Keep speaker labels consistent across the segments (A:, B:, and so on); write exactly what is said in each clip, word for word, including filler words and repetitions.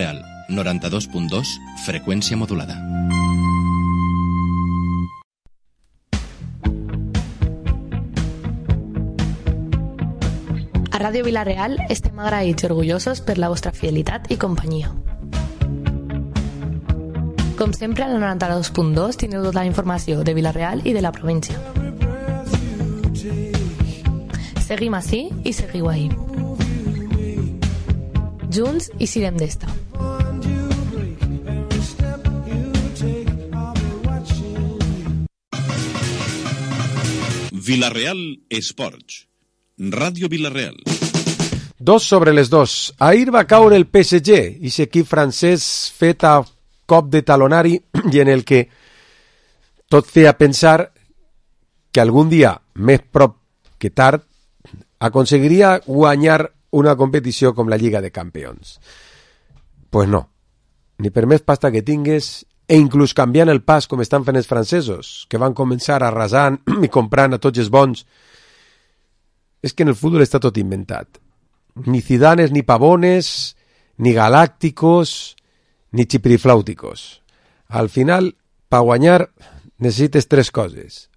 A: Real, noranta-dos punt dos, freqüència modulada.
B: A Ràdio Vila-real estem agraïts i orgullosos per la vostra fidelitat i companyia. Com sempre, al noranta-dos punt dos teniu tota la informació de Vila-real i de la província. Seguim ací i seguiu ahí. Junts i sirem d'esta.
C: Vila-real Esports. Ràdio Vila-real.
D: Dos sobre les dos. Ahir va caure el P S G, aquest equip francès fet a cop de talonari i en el que tot feia pensar que algun dia, més prop que tard, aconseguiria guanyar una competició com la Lliga de Campions. Pues no. Ni per més pasta que tingues, e inclús canviant el pas com estan fent els francesos, que van començar arrasant i comprant a tots els bons. És que en el futbol està tot inventat. Ni Zidanes, ni Pavones, ni Galácticos, ni Chiprifláuticos. Al final, per guanyar, necessites tres coses.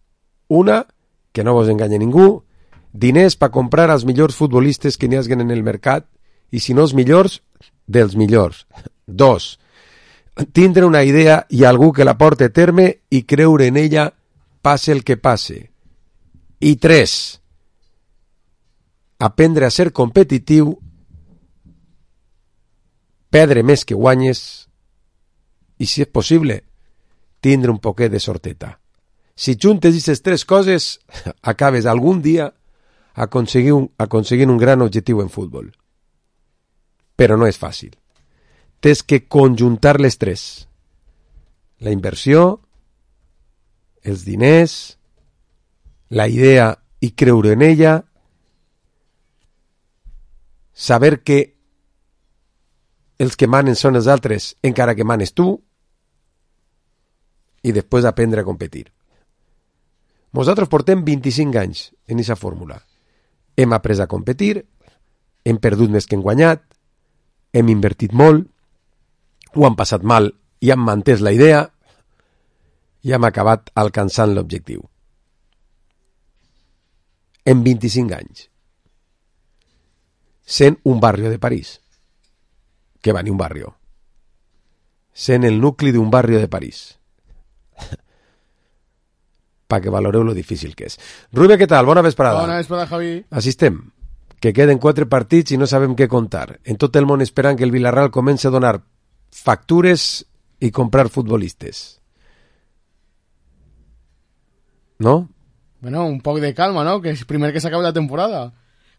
D: Una, que no vos enganya ningú, diners per comprar els millors futbolistes que n'hi haguen en el mercat, i si no els millors, dels millors. Dos, tindre una idea i algú que la porte a terme i creure en ella, passe el que passe. I tres, aprendre a ser competitiu, perdre més que guanyes i, si és possible, tindre un poquet de sorteta. Si juntes aquestes tres coses, acabes algun dia aconseguint un, aconseguint un gran objectiu en futbol. Però no és fàcil. Tens que conjuntar les tres. La inversió, els diners, la idea i creure en ella, saber que els que manen són els altres encara que manes tu i després aprendre a competir. Nosaltres portem vint-i-cinc anys en aquesta fórmula. Hem après a competir, hem perdut més que hem guanyat, hem invertit molt, ho hem passat mal i hem mantès la idea i hem acabat alcançant l'objectiu. En vint-i-cinc anys. Sent un barri de París. Que va ni un barri. Sent el nucli d'un barri de París. Perquè valoreu lo difícil que és. Rubia, què tal? Bona vesprada.
E: Bona vesprada, Javi.
D: Així estem. Que queden quatre partits i no sabem què contar. En tot el món esperant que el Villarreal comenci a donar factures i comprar futbolistes. ¿No?
E: Bueno, un poc de calma, ¿no? Que és primer que s'acabi la temporada.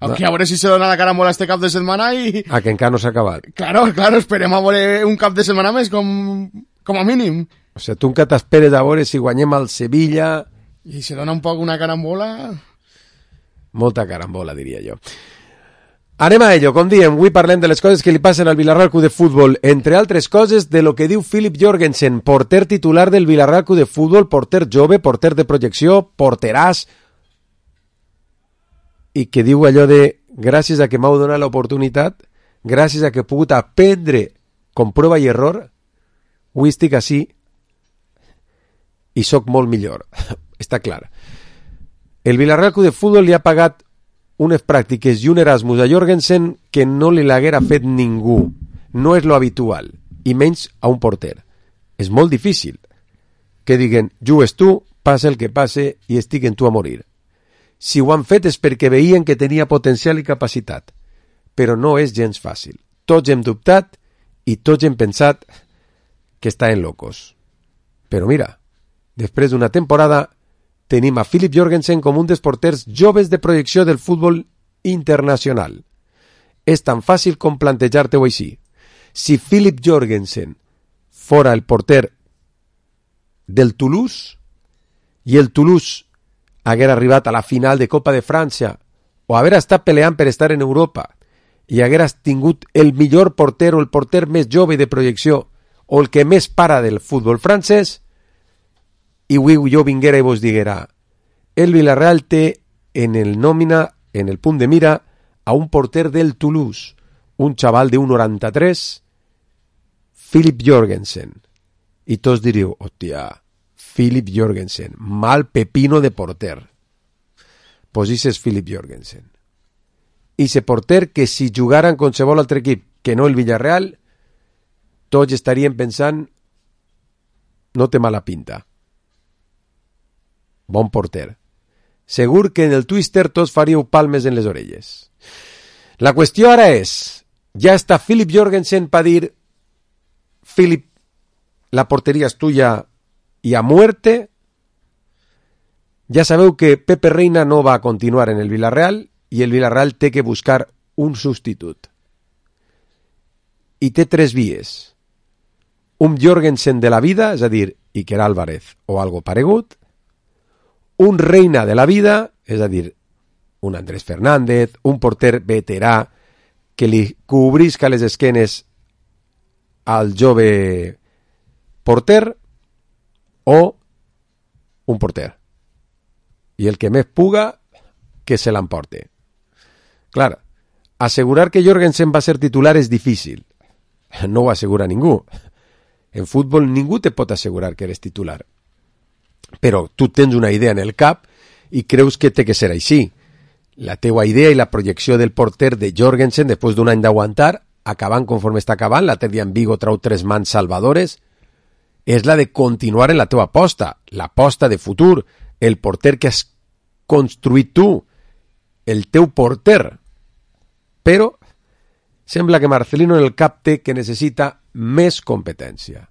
E: Aunque no. A veure si se dona la carambola este cap de setmana i...
D: A que encara no s'ha acabat.
E: Claro, claro, esperem a veure un cap de setmana més com, com a mínim.
D: O sigui, tu encara t'esperes a veure si guanyem al Sevilla...
E: I se dona un poc una carambola...
D: Molta carambola, diria jo. Anem a ello, com diem, avui parlem de les coses que li passen al Villarreal Club de Futbol, entre altres coses de lo que diu Philip Jorgensen, porter titular del Villarreal Club de Futbol, porter jove, porter de projecció, porteràs, i que diu allò de gràcies a que m'heu donat l'oportunitat, gràcies a que he pogut aprendre com prova i error, avui estic així i sóc molt millor. Està clar. El Villarreal Club de Futbol li ha pagat unes pràctiques i un Erasmus a Jorgensen que no li l'haguera fet ningú. No és lo habitual, i menys a un porter. És molt difícil que diguen, jugues tu, passa el que passe i estic en tu a morir. Si ho han fet és perquè veien que tenia potencial i capacitat, però no és gens fàcil. Tots hem dubtat i tots hem pensat que estaven locos. Però mira, després d'una temporada tenim a Philip Jorgensen com un dels porters joves de projecció del futbol internacional. És tan fàcil com plantejar-te-ho així. Si Philip Jorgensen fora el porter del Toulouse i el Toulouse hagués arribat a la final de Copa de França o haver estat peleant per estar en Europa i hagués tingut el millor porter o el porter més jove de projecció o el que més para del futbol francès, i avui jo vinguera i vos diguera el Villarreal té en el nòmina, en el punt de mira, a un porter del Toulouse, un xaval de un noranta-tres Philip Jorgensen. I tots diríeu, hòstia, Philip Jorgensen, mal pepino de porter. Pues ese és Philip Jorgensen. I ese porter que si jugara en qualsevol altre equip que no el Villarreal, tots estarien pensant, no té mala pinta. Bon porter. Segur que en el Twister tots faríeu palmes en les orelles. La qüestió ara és, ja està Philip Jorgensen per dir, Philip, la porteria és tuya i a muerte. Ja sabeu que Pepe Reina no va a continuar en el Villarreal i el Villarreal té que buscar un substitut. I té tres vies. Un Jorgensen de la vida, és a dir, Iker Álvarez o algo paregut, un Reina de la vida, és a dir, un Andrés Fernández, un porter veterà que li cobrisca les esquenes al jove porter, o un porter. I el que més puga, que se l'emporte. Clar, assegurar que Jorgensen va ser titular és difícil. No ho assegura ningú. En futbol ningú te pot assegurar que eres titular. Però tu tens una idea en el cap i creus que té que ser així. La teua idea i la projecció del porter de Jorgensen, després d'un any d'aguantar, acabant conforme està acabant, l'altre dia en Vigo trau tres mans salvadores, és la de continuar en la teua aposta, l'aposta de futur, el porter que has construït tu, el teu porter. Però sembla que Marcelino en el cap té que necessita més competència.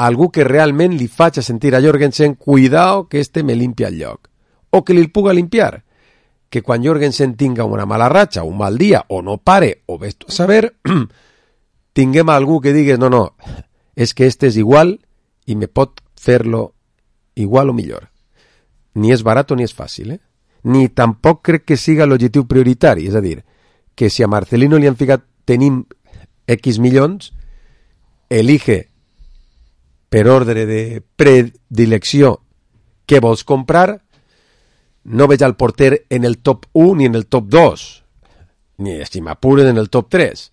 D: Algú que realment li faci sentir a Jorgensen, cuidao que este me limpia el lloc. O que li puga limpiar. Que quan Jorgensen tinga una mala ratxa, un mal dia, o no pare, o ves tu a saber, tinguem algú que digues, no, no, és que este és igual i me pot fer-lo igual o millor. Ni és barat ni és fàcil, eh? Ni tampoc crec que siga l'objectiu prioritari, és a dir, que si a Marcelino li han ficat tenim X milions, elige per ordre de predilecció què vols comprar. No veig al porter en el top u ni en el top dos, ni si m'apuren en el top tres,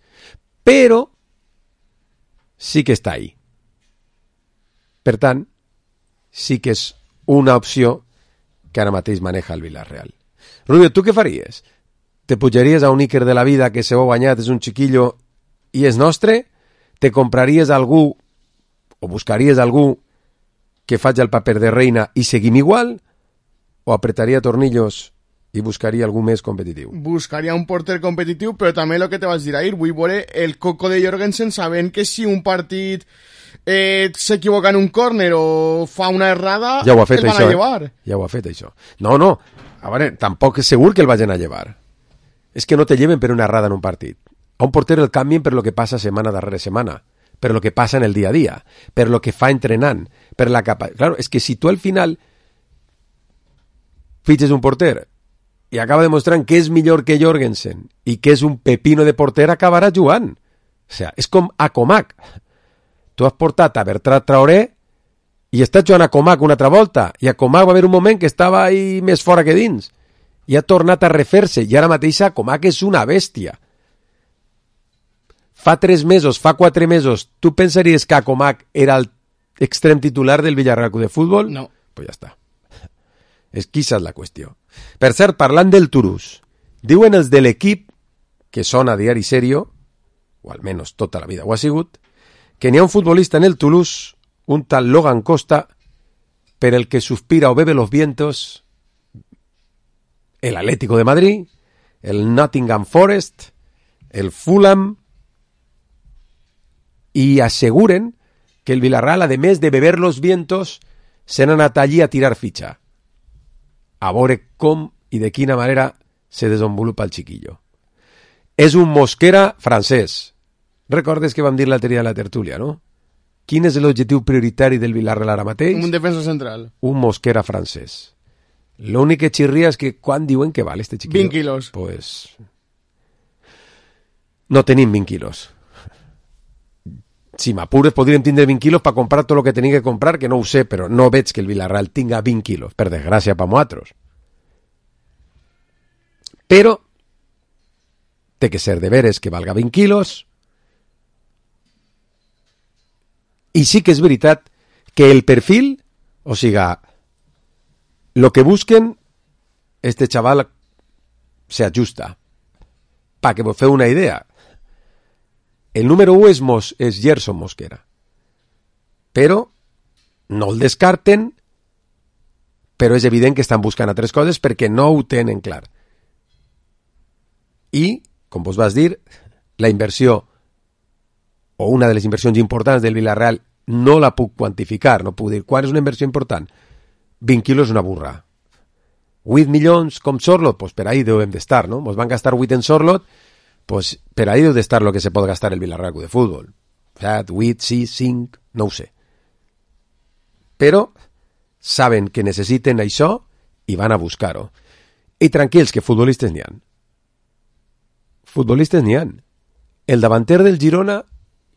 D: però sí que està ahí. Per tant, sí que és una opció que ara mateix maneja el Villarreal. Rubio, tu què faries? Te pujaries a un Iker de la vida que se ho ha guanyat, és un xiquillo i és nostre? Te compraries algú o buscaries algú que faci el paper de Reina i seguim igual? O apretaria tornillos i buscaria algú més competitiu?
E: Buscaria un porter competitiu, però també el que te vas dir ahir, vull veure el coco de Jorgensen sabent que si un partit eh, s'equivoca en un córner o fa una errada,
D: ja ho ha fet,
E: el van
D: això,
E: a llevar.
D: Eh? Ja ho ha fet, això. No, no, a veure, tampoc és segur que el vagin a llevar. És que no te lleven per una errada en un partit. A un porter el canvien per lo que passa setmana darrere setmana, per lo que passa en el dia a dia, per lo que fa entrenant, per la capa... Claro, és que si tu al final fitxes un porter i acaba demostrant que és millor que Jorgensen i que és un pepino de porter, acabarà jugant. O sea, és com a Comac. Tu has portat a Bertran Traoré i estàs jugant a Comac una altra volta, i a Comac va haver un moment que estava ahí més fora que dins i ha tornat a refer-se, i ara mateix Comac és una bèstia. Fa tres mesos, fa quatre mesos, tu pensaries que Comac era el extrem titular del Villarreal de Futbol?
E: No.
D: Pues ja està. És que és la qüestió. Per cert, parlant del Toulouse, diuen els de l'equip, que són a diari serio, o almenys tota la vida ho ha sigut, que n'hi ha un futbolista en el Toulouse, un tal Logan Costa, per el que suspira o bebe los vientos el Atlético de Madrid, el Nottingham Forest, el Fulham, i asseguren que el Villarreal, a més de beber los vientos, se n'ha anat allí a tirar fitxa. A veure com i de quina manera se desenvolupa el xiquillo. És un Mosquera francès. Recordes que vam dir l'altre dia a la tertúlia, no? Quin és l'objectiu prioritari del Villarreal ara mateix?
E: Un defensa central.
D: Un Mosquera francès. L'únic que xirria és que quan diuen que val este xiquillo?
E: vint quilos.
D: Pues... no tenim vint quilos. Si m'apures podríem tindre vint quilos per comprar tot el que tenia que comprar, que no ho sé, però no veig que el Villarreal tinga vint quilos, per desgràcia per nosaltres. Però té que ser de veres que valga vint quilos I sí que és veritat que el perfil, o siga, lo que busquen, este chaval se ajusta. Pa que vos feu una idea. El número u és, Mos, és Gerson Mosquera. Però no el descarten, però és evident que estan buscant altres coses perquè no ho tenen clar. I, com vos vas dir, la inversió, o una de les inversions importants del Villarreal, no la puc quantificar, no puc dir quan és una inversió important. vint quilos és una burra. vuit milions com Sorlot, pues per ahí devem d'estar, no? Nos van gastar vuit en Sorlot, pues per ahí deu d'estar lo que se pot gastar el Villarreal de Fútbol. set, vuit, sis, cinc, no ho sé. Però saben que necessiten això i van a buscar-ho. I tranquils, que futbolistes n'hi han. Futbolistes n'hi han. El davanter del Girona,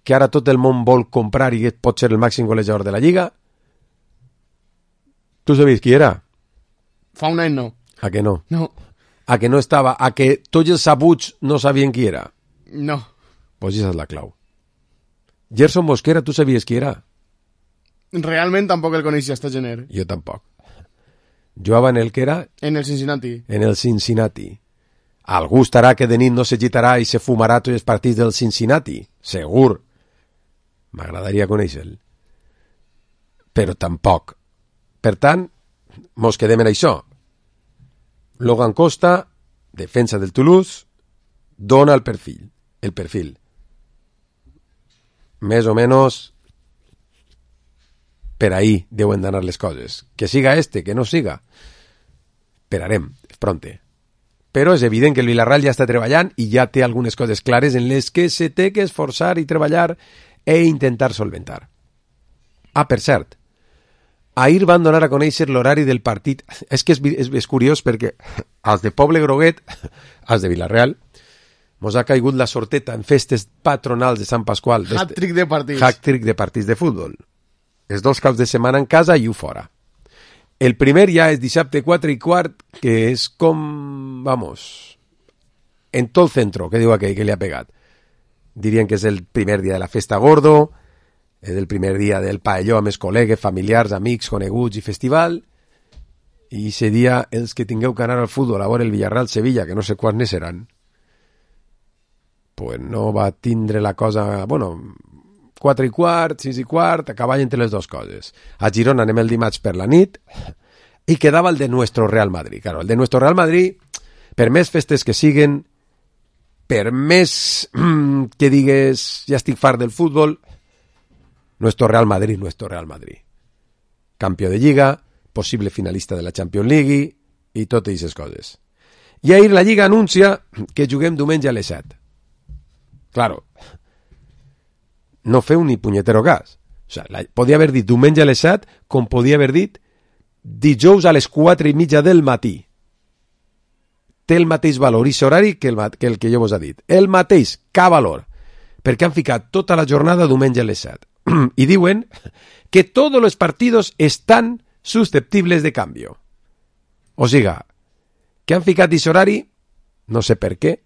D: que ara tot el món vol comprar i pot ser el màxim golejador de la Lliga, tu sabies qui era?
E: Fa un any no.
D: A que no?
E: No.
D: A que no estava? A que tots els sabuts no sabien qui era?
E: No.
D: Pues esa és la clau. Gerson Mosquera, tu sabies qui era?
E: Realment tampoc el coneixia, esta gener.
D: Jo tampoc. Jugava en el que era?
E: En el Cincinnati.
D: En el Cincinnati. Algú estarà que de nit no se gitarà i se fumarà tots els partits del Cincinnati. Segur. M'agradaria conèixer-lo. Però tampoc. Per tant, mos quedem en això. Logan Costa, defensa del Toulouse, dona el perfil. El perfil. Més o menys per ahí deuen d'anar les coses. Que siga este, que no siga. Esperarem, pronte. Però és evident que el Villarreal ja està treballant i ja té algunes coses clares en les que se té que esforçar i treballar e intentar solventar. Ah, per cert, ahir van donar a conèixer l'horari del partit. És que és, és, és curiós perquè als de Poble Groguet, als de Villarreal, mos ha caigut la sorteta en festes patronals de Sant Pasqual.
E: Hat-trick de partits.
D: Hat-trick de partits de futbol. Els dos caps de setmana en casa i u fora. El primer ja és dissabte quatre i quart, que és com, vamos, en tot el centro, que diu aquell que li ha pegat. Dirien que és el primer dia de la festa gordo, és el primer dia del paelló amb els col·legues, familiars, amics, coneguts i festival, i ese dia els que tingueu que anar al futbol a veure el Villarreal-Sevilla, que no sé quants ne seran, pues no va tindre la cosa, bueno, quatre i quart, sis i quart, a cavall entre les dues coses. A Girona anem el dimarts per la nit i quedava el de nuestro Real Madrid. Claro, el de nuestro Real Madrid, per més festes que siguen, per més que digues ja estic fart del futbol, nuestro Real Madrid, nuestro Real Madrid. Campió de Lliga, possible finalista de la Champions League i totes aquestes coses. I ahir la Lliga anuncia que juguem diumenge a les set. Claro, no feu ni punyetero cas. O sea, la, podia haver dit diumenge a les set, com podia haver dit dijous a les quatre i mitja del matí. Té el mateix valor i horari que el, que el que jo vos he dit. El mateix, cap valor. Perquè han ficat tota la jornada diumenge a les set. I diuen que tots els partits estan susceptibles de canvio. O siga, que han ficat aquest horari, no sé per què,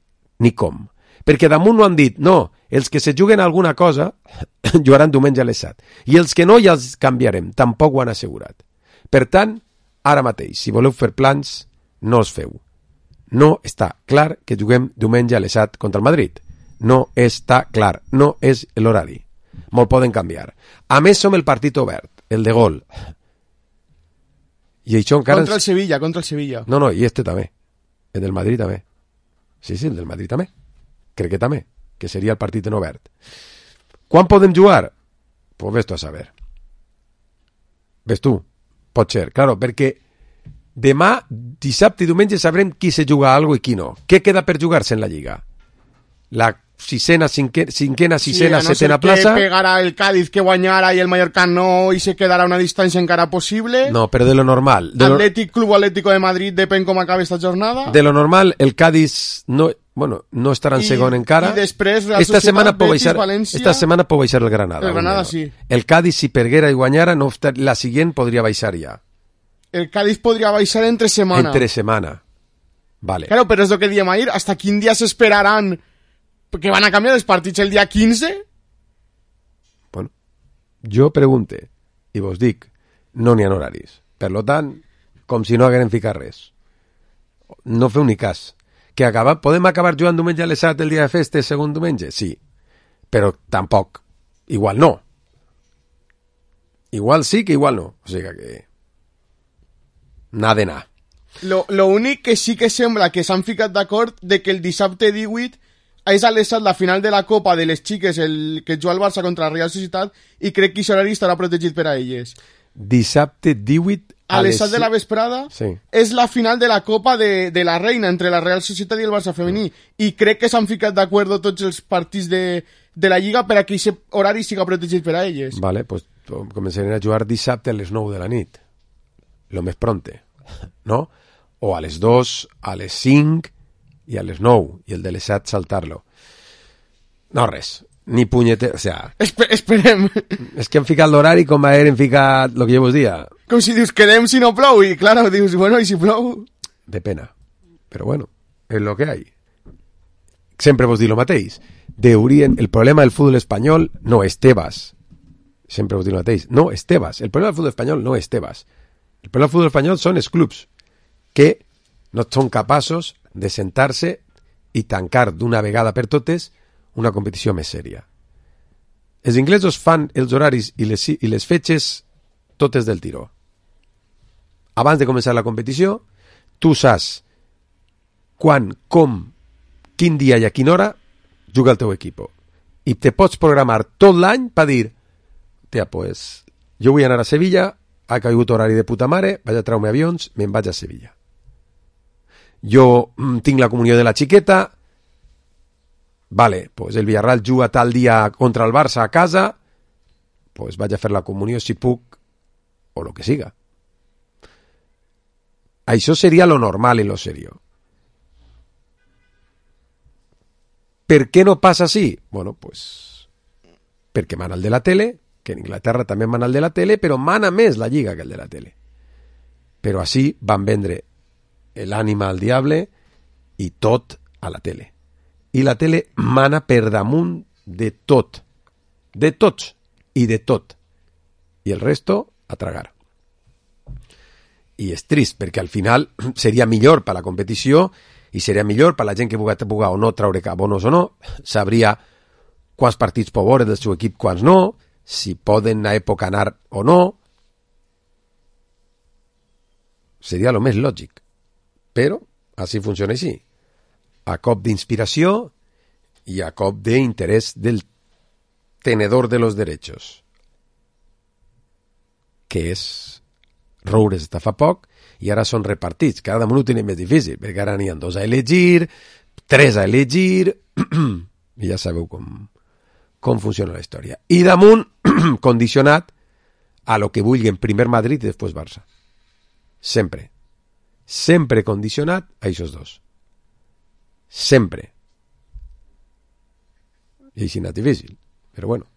D: ni com. Perquè damunt no han dit, no, els que se juguen alguna cosa jugaran diumenge a les set. I els que no ja els canviarem, tampoc ho han assegurat. Per tant, ara mateix, si voleu fer plans, no els feu. No està clar que juguem diumenge a les set contra el Madrid. No està clar, no és l'horari. Molt poden canviar. A més, som el partit obert, el de gol. I això encara...
E: Contra el Sevilla, contra el Sevilla.
D: No, no, i este també. El del Madrid també. Sí, sí, el del Madrid també. Crec que també, que seria el partit en obert. Quan podem jugar? Pues ves tu a saber. Ves tu? Pot ser, claro, perquè demà, dissabte i diumenge sabrem qui se juga a algo i qui no. Què queda per jugar-se en la Lliga? La sisena, cinque, cinquena, sisena, sí, no setena plaça...
E: que pegarà el Cádiz que guanyarà i el Mallorca no i se quedarà una distància encara possible.
D: No, però de lo normal. De lo...
E: Atlètic Club Atlético de Madrid, depèn com acabi esta jornada.
D: De lo normal, el Cádiz no, bueno, no estarà en I, segon encara.
E: I després Real
D: esta
E: Societat,
D: setmana
E: Betis,
D: baixar,
E: València...
D: Esta setmana pot baixar el Granada.
E: El Granada, sí.
D: El Cádiz, si perguera i guanyara, no, la siguient podria baixar ja.
E: El Cádiz podria baixar entre setmana.
D: Entre setmana. Vale.
E: Claro, però és el que diem ahir. Hasta quin dia s'esperaran que van a canviar els partits el dia quinze?
D: Bueno, Jo pregunte, i vos dic, no n'hi ha horaris. Per lo tant, com si no hagueren ficat res. No feu ni cas. Que acaba, podem acabar jugant diumenge a les set el dia de festes, segon diumenge? Sí. Però tampoc. Igual no. Igual sí que igual no. O sigui que... Nada de nada.
E: Lo, lo únic que sí que sembla que s'han ficat d'acord de que el dissabte divuit és a les set la final de la Copa de les xiques, el que juga el Barça contra la Real Societat, i crec que aquest horari estarà protegit per a elles.
D: Dissabte divuit
E: a, a les set de la vesprada,
D: sí.
E: És la final de la Copa de, de la Reina entre la Real Societat i el Barça femení, i crec que s'han ficat d'acord tots els partits de, de la Lliga per a que aquest horari siga protegit per a elles.
D: Vale, pues començarem a jugar dissabte a les nou de la nit, lo més pronte, no? O a les dos, a les cinc i a les nou, i el de les set saltar-lo. No, res, ni punyete... O sea...
E: Esper esperem.
D: És que han ficat l'horari com a eren ficat el que jo vos dia.
E: Com si dius, quedem si no plou, i claro, dius, bueno, i si plou...
D: De pena. Però bueno, és lo que hay. Sempre vos dic lo mateix. Deurien... El problema del futbol espanyol no és Tebas. Sempre vos dic lo mateix. No és Tebas. El problema del futbol espanyol no és Tebas. El problema del futbol espanyol són els clubs que no són capaços de sentar-se i tancar d'una vegada per totes una competició més sèria. Els inglesos fan els horaris i les, i les fetges totes del tiró. Abans de començar la competició, tu saps quan, com, quin dia i a quina hora juga el teu equip. I te pots programar tot l'any per dir, tia, pues, jo vull anar a Sevilla, ha caigut horari de puta mare, vaig a treure-me avions, me'n vaig a Sevilla. Jo mm, tinc la comunió de la xiqueta, vale, pues el Villarreal juga tal dia contra el Barça a casa, pues vaig a fer la comunió si puc, o lo que siga. Això seria lo normal i lo serio. Per què no passa així? Bueno, pues perquè mana el de la tele, que en Inglaterra també mana el de la tele, però mana més la Lliga que el de la tele. Però així van vendre l'ànima al diable i tot a la tele. I la tele mana per damunt de tot. De tots i de tot. I el resto a tragar. I és trist, perquè al final seria millor per la competició i seria millor per la gent que puga, puga o no traure bonos o no, sabria quants partits pot veure del seu equip, quants no, si poden a època anar o no. Seria el més lògic. Però així funciona així. A cop d'inspiració i a cop d'interès del tenedor de los derechos. Que és roures de fa poc i ara són repartits. Cada damunt ho tenen més difícil, perquè ara n'hi ha dos a elegir, tres a elegir, i ja sabeu com, com funciona la història. I damunt, condicionat a lo que vulguin primer Madrid i després Barça. Sempre. Sempre condicionat a aquests dos. Sempre. I així no és difícil. Però bueno.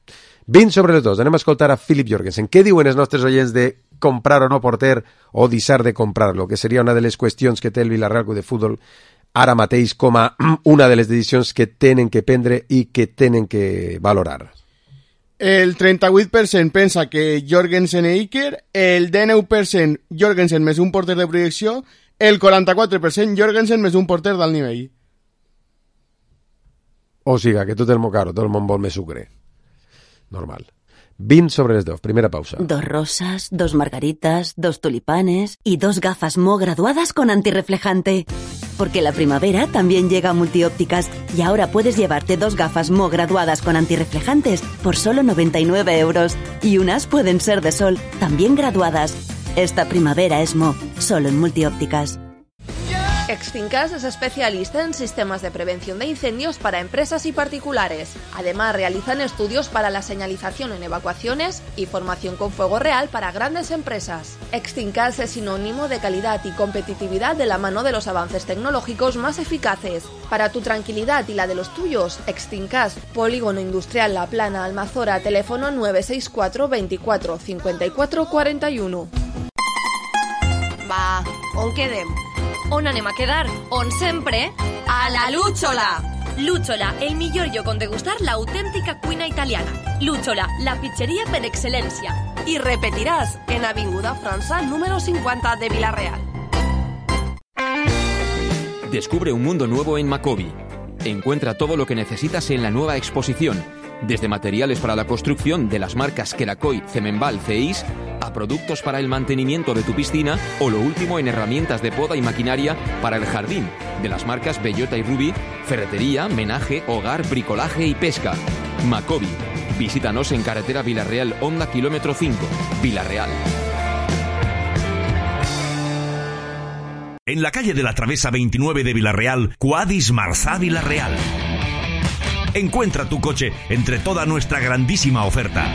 D: vint sobre les dos. Anem a escoltar a Philip Jorgensen. Què diuen els nostres oients de comprar o no porter o deixar de comprar-lo? Que seria una de les qüestions que té el Villarreal Club de Futbol ara mateix com a una de les decisions que tenen que prendre i que tenen que valorar.
E: El trenta-vuit per cent pensa que Jorgensen i Iker, el dinou per cent Jorgensen més un porter de projecció, el quaranta-quatre per cent Jorgensen més un porter d'alt nivell.
D: O siga, que tot el món caro, tot el món vol més sucre. Normal. vint sobre les dos, primera pausa.
F: Dos rosas, dos margaritas, dos tulipanes y dos gafas Mo graduadas con antirreflejante. Porque la primavera también llega a Multiópticas y ahora puedes llevarte dos gafas Mo graduadas con antirreflejantes por solo noventa y nueve euros. Y unas pueden ser de sol, también graduadas. Esta primavera es Mo, solo en Multiópticas.
G: Extinkas es especialista en sistemas de prevención de incendios para empresas y particulares. Además, realizan estudios para la señalización en evacuaciones y formación con fuego real para grandes empresas. Extinkas es sinónimo de calidad y competitividad de la mano de los avances tecnológicos más eficaces. Para tu tranquilidad y la de los tuyos, Extinkas, Polígono Industrial La Plana, Almazora, teléfono nueve seis cuatro veinticuatro cincuenta y cuatro cuarenta y uno.
H: Va, on quedem? On anem a quedar? On sempre? A la Lúchola! Lucciola, el millor lloc on degustar la autèntica cuina italiana. Lucciola, la pizzeria per excelencia.
G: Y repetirás en Avinguda França número cincuenta de Vila-real.
I: Descubre un mundo nuevo en Macobi. Encuentra todo lo que necesitas en la nueva exposición, desde materiales para la construcción de las marcas Kerakoy, Cemenbal, Ceis, a productos para el mantenimiento de tu piscina o lo último en herramientas de poda y maquinaria para el jardín, de las marcas Bellota y Ruby, ferretería, menaje, hogar, bricolaje y pesca. Macobi. Visítanos en carretera Vila-real Honda kilómetro cinco, Vila-real.
J: En la calle de la Travesa veintinueve de Vila-real, Quadis Marzá Vila-real. Encuentra tu coche entre toda nuestra grandísima oferta.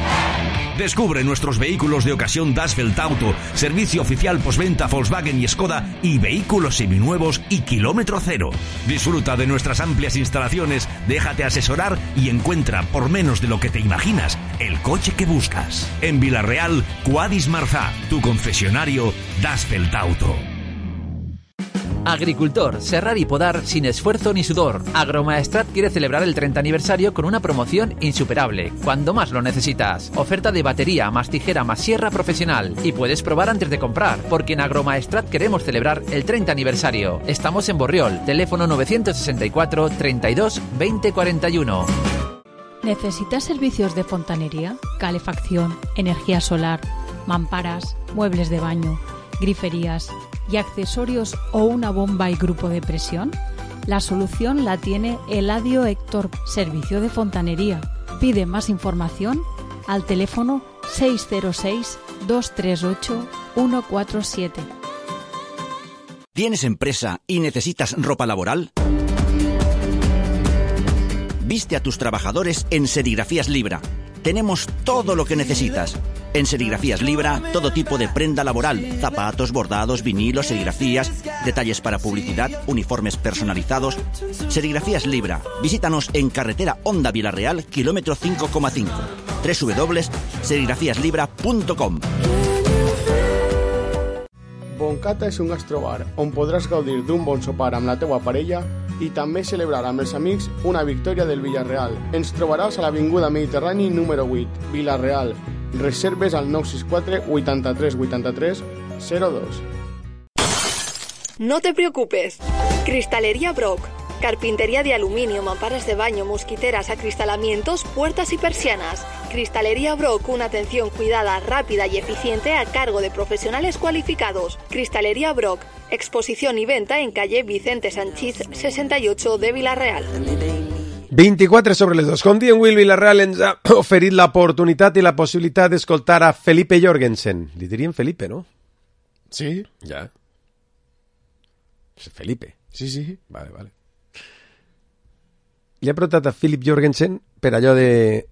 J: Descubre nuestros vehículos de ocasión Dasfeld Auto, servicio oficial postventa Volkswagen y Skoda y vehículos seminuevos y kilómetro cero. Disfruta de nuestras amplias instalaciones, déjate asesorar y encuentra por menos de lo que te imaginas el coche que buscas. En Vila-real, Quadis Marzá, tu concesionario Dasfeld Auto.
K: Agricultor, serrar y podar sin esfuerzo ni sudor. Agromaestrat quiere celebrar el treinta aniversario con una promoción insuperable, cuando más lo necesitas. Oferta de batería, más tijera, más sierra profesional. Y puedes probar antes de comprar, porque en Agromaestrat queremos celebrar el treinta aniversario. Estamos en Borriol, teléfono novecientos sesenta y cuatro, treinta y dos, veinte cuarenta y uno.
L: ¿Necesitas servicios de fontanería, calefacción, energía solar, mamparas, muebles de baño, griferías y accesorios o una bomba y grupo de presión? La solución la tiene Eladio Héctor, servicio de fontanería. Pide más información al teléfono seis cero seis, dos tres ocho, uno cuatro siete.
M: ¿Tienes empresa y necesitas ropa laboral? Viste a tus trabajadores en Serigrafías Libra. Tenemos todo lo que necesitas. En Serigrafías Libra, todo tipo de prenda laboral, zapatos, bordados, vinilos, serigrafías, detalles para publicidad, uniformes personalizados. Serigrafías Libra. Visítanos en carretera Honda Vila-real, kilómetro cinco coma cinco. doble u doble u doble u punt serigrafías libra punt com.
E: Boncata és un gastrobar on podràs gaudir d'un bon sopar amb la teua parella i també celebrar amb els amics una victòria del Villarreal. Ens trobaràs a l'Avinguda Mediterrani número vuit, Vila-real. Reserves al nou sis quatre, vuitanta-tres, vuitanta-tres, zero dos.
G: No te preocupes. Cristalería Brock. Carpintería de aluminio, mamparas de baño, mosquiteras, acristalamientos, puertas y persianas. Cristalería Brock, una atención cuidada, rápida y eficiente a cargo de profesionales cualificados. Cristalería Brock, exposición y venta en calle Vicente Sanchís sesenta y ocho de Vila-real.
D: vint-i-quatre sobre les dos. Com dient Will, Vila-real ens ha oferit l'oportunitat i la possibilitat d'escoltar a Felipe Jorgensen. Li diríem Felipe, no?
E: Sí.
D: Ja. Felipe.
E: Sí, sí.
D: Vale, vale. Li ha preguntat a Philip Jorgensen per allò de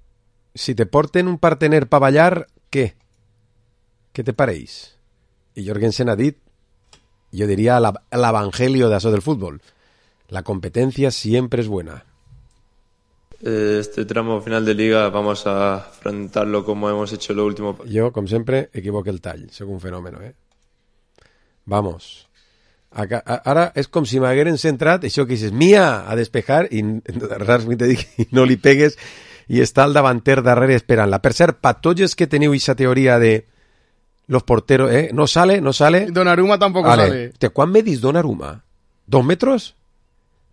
D: si te porten un partener pa ballar, què? Què te pareix? I Jorgensen ha dit, jo diria l'evangelio d'això del futbol. La competencia siempre es buena.
N: Este tramo final de liga vamos a afrontarlo como hemos hecho lo último.
D: Yo, como siempre, equivoqué el tall. Soy un fenómeno, ¿eh? Vamos. Acá, a, ara és com si m'hagueren centrat, això que dices, Mia, a despejar, i, i no li pegues, i està el davanter darrere esperant-la. Per cert, pa tots els que teniu aquesta teoria de los porteros, ¿eh? No sale, no sale.
E: Donnarumma tampoco vale. Sale.
D: Te, ¿Quan medis Donnarumma? ¿Dos metros?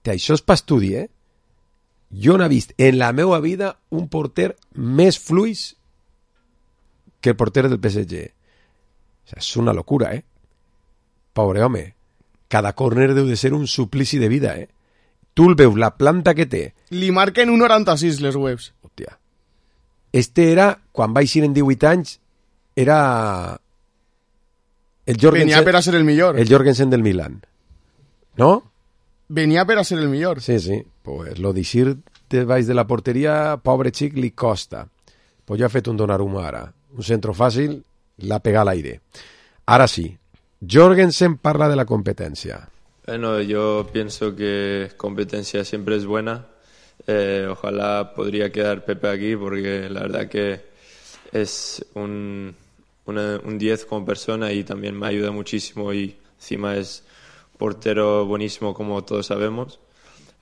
D: Te, això és pa estudi, eh? Jo no he vist en la meva vida un porter més fluix que el porter del P S G. O sea, és una locura, eh? Pobre home. Cada córner deu de ser un suplici de vida, eh? Tu el veus, la planta que té.
E: Li marquen un noranta-sis les webs.
D: Hòstia. Este era, quan vaig ir en divuit anys, era... El Jorgensen,
E: Venia per a ser el millor.
D: El Jorgensen del Milan. ¿No?
E: Venia per a ser el millor.
D: Sí, sí. Pues lo d'eixir de baix de la porteria, pobre xic, li costa. Pues ja ha fet un Donnarumma ara. Un centro fàcil, l'ha pegat a l'aire. Ara sí. Jorgensen parla de la competencia.
N: Bueno, yo pienso que competencia siempre es buena. Eh, ojalá podría quedar Pepe aquí porque la verdad que es un, una, un diez como persona y también me ayuda muchísimo y encima es portero buenísimo como todos sabemos.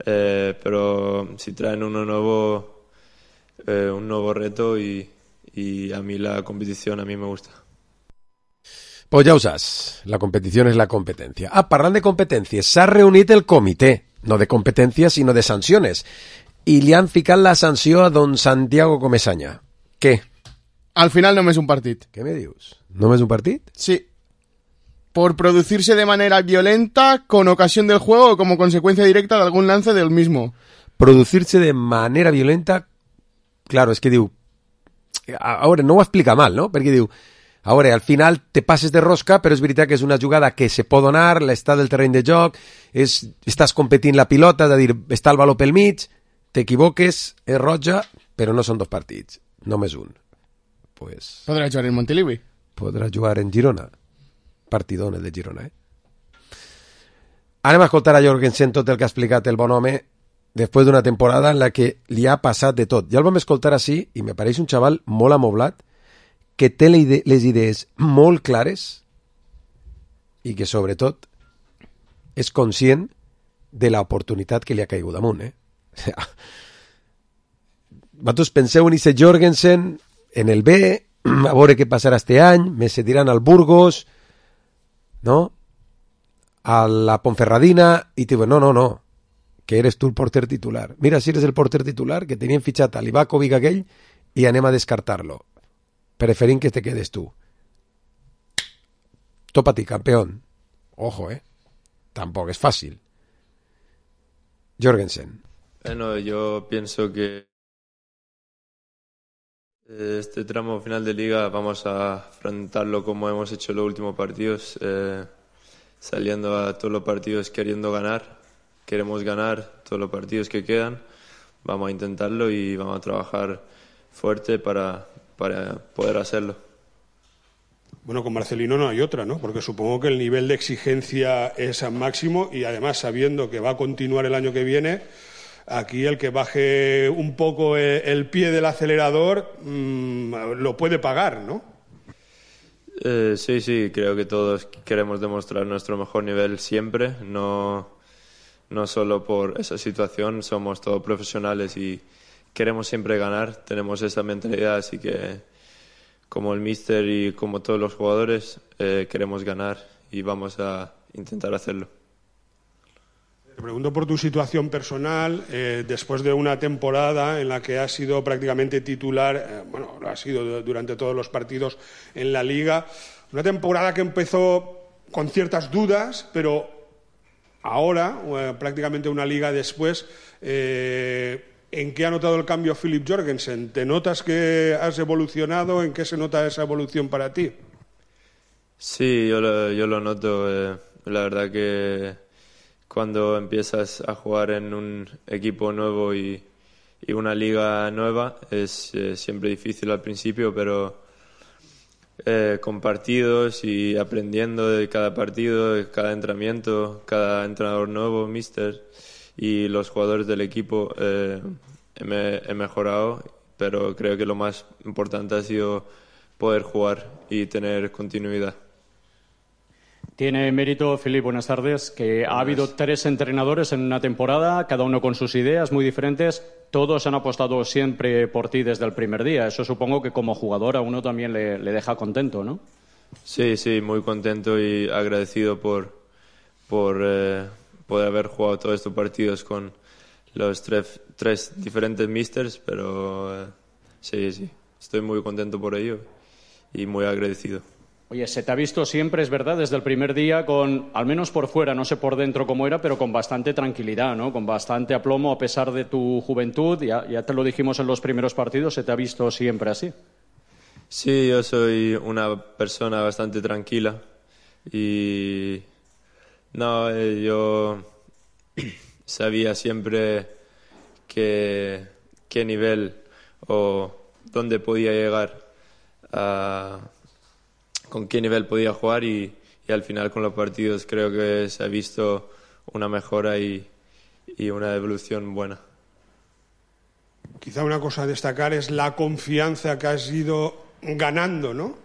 N: eh, pero si traen uno nuevo, eh, un nuevo reto y, y a mí la competición a mí me gusta.
D: Pues ja ho saps, la competició és la competència. Ah, parlant de competències, s'ha reunit el comitè, no de competències, sinó de sancions, i li han ficat la sanció a don Santiago Comesaña. Què?
E: Al final només un partit.
D: Què me dius? ¿Només un partit?
E: Sí. Por producirse de manera violenta con ocasión del juego o como consecuencia directa de algún lance del mismo.
D: Producirse de manera violenta... Claro, és que diu... A veure, no ho explica mal, no? Perquè diu... A veure, al final te passes de rosca, però és veritat que és una jugada que se pot donar, l'estat del terreny de joc, és, estàs competint la pilota, de dir, està el baló pel mig, t'equivoques, és roja, però no són dos partits, només un. Pues...
E: Podrà jugar en Montilivi.
D: Podrà jugar en Girona. Partidón el de Girona, eh? Anem a escoltar a Jorgensen tot el que ha explicat el bon home després d'una temporada en la que li ha passat de tot. Ja el vam escoltar així i me pareix un xaval molt amoblat, que té les idees molt clares i que, sobretot, és conscient de l'oportunitat que li ha caigut damunt, eh? Vosaltres penseu en aquest Jorgensen, en el B, a veure què passarà este any, me cediran al Burgos, no? A la Ponferradina, i te diuen, no, no, no, que eres tu el porter titular. Mira, si eres el porter titular, que tenien fitxat a l'Ivakovic aquell, i anem a descartar-lo. Preferint que te quedes tú. Topa ti, campeón. Ojo, eh. Tampoco es fácil. Jorgensen.
N: Bueno, yo pienso que este tramo final de liga vamos a afrontarlo como hemos hecho los últimos partidos, eh, saliendo a todos los partidos queriendo ganar. Queremos ganar todos los partidos que quedan. Vamos a intentarlo y vamos a trabajar fuerte para... para poder hacerlo.
O: Bueno, con Marcelino no hay otra, ¿no? Porque supongo que el nivel de exigencia es al máximo y además sabiendo que va a continuar el año que viene, aquí el que baje un poco el pie del acelerador mmm, lo puede pagar, ¿no?
N: Eh, sí, sí, creo que todos queremos demostrar nuestro mejor nivel siempre, no, no solo por esa situación, somos todos profesionales y queremos siempre ganar, tenemos esa mentalidad, así que como el míster y como todos los jugadores eh, queremos ganar y vamos a intentar hacerlo.
O: Te pregunto por tu situación personal, eh, después de una temporada en la que has sido prácticamente titular, eh, bueno, lo has sido durante todos los partidos en la Liga, una temporada que empezó con ciertas dudas, pero ahora, eh, prácticamente una Liga después, eh, ¿en qué ha notado el cambio Filip Jorgensen? ¿Te notas que has evolucionado? ¿En qué se nota esa evolución para ti?
N: Sí, yo lo, yo lo noto. Eh, la verdad que cuando empiezas a jugar en un equipo nuevo y, y una liga nueva es eh, siempre difícil al principio, pero eh, con partidos y aprendiendo de cada partido, de cada entrenamiento, cada entrenador nuevo, míster, y los jugadores del equipo eh, he, he mejorado, pero creo que lo más importante ha sido poder jugar y tener continuidad.
P: Tiene mérito, Filip, buenas tardes, que ha habido tres entrenadores en una temporada, cada uno con sus ideas muy diferentes, todos han apostado siempre por ti desde el primer día. Eso supongo que como jugador a uno también le, le deja contento, ¿no?
N: Sí, sí, muy contento y agradecido por, por eh, poder haber jugado todos estos partidos con los tres, tres diferentes místers, pero eh, sí, sí, estoy muy contento por ello y muy agradecido.
P: Oye, se te ha visto siempre, es verdad, desde el primer día con, al menos por fuera, no sé por dentro cómo era, pero con bastante tranquilidad, ¿no? Con bastante aplomo a pesar de tu juventud, ya, ya te lo dijimos en los primeros partidos, se te ha visto siempre así.
N: Sí, yo soy una persona bastante tranquila y no, eh, yo sabía siempre que, qué nivel o dónde podía llegar a... con qué nivel podía jugar y, y al final con los partidos creo que se ha visto una mejora y, y una evolución buena.
O: Quizá una cosa a destacar es la confianza que has ido ganando, ¿no?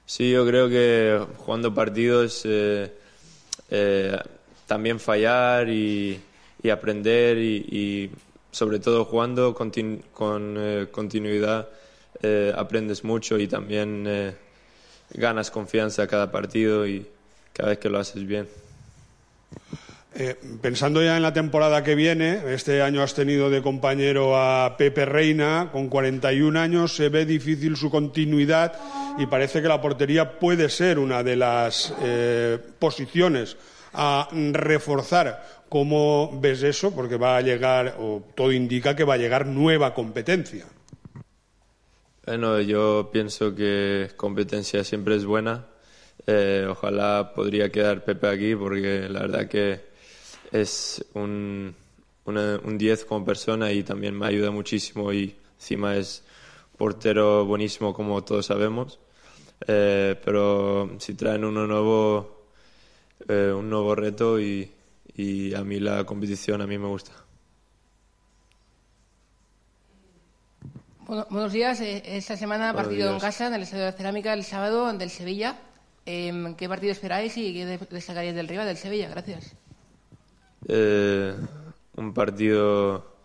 N: Sí, yo creo que jugando partidos eh, eh, también fallar y, y aprender y, y sobre todo jugando continu- con eh, continuidad eh, aprendes mucho y también eh, ganas confianza cada partido y cada vez que lo haces bien.
O: Eh, pensando ya en la temporada que viene, este año has tenido de compañero a Pepe Reina, con cuarenta y un años, se ve difícil su continuidad y parece que la portería puede ser una de las eh, posiciones a reforzar. ¿Cómo ves eso? Porque va a llegar, o todo indica que va a llegar nueva competencia.
N: Bueno, yo pienso que competencia siempre es buena. Eh, ojalá podría quedar Pepe aquí porque la verdad que es un, una, un diez como persona y también me ayuda muchísimo y encima es portero buenísimo como todos sabemos. Eh, pero si traen uno nuevo, eh, un nuevo reto y, y a mí la competición a mí me gusta.
Q: Bueno, buenos días. Esta semana
N: Buenos
Q: partido
N: días.
Q: en casa, en el Estadio de la Cerámica, el sábado ante el Sevilla. Eh, ¿Qué partido esperáis y qué destacaríais del rival del Sevilla? Gracias.
N: Eh, un partido,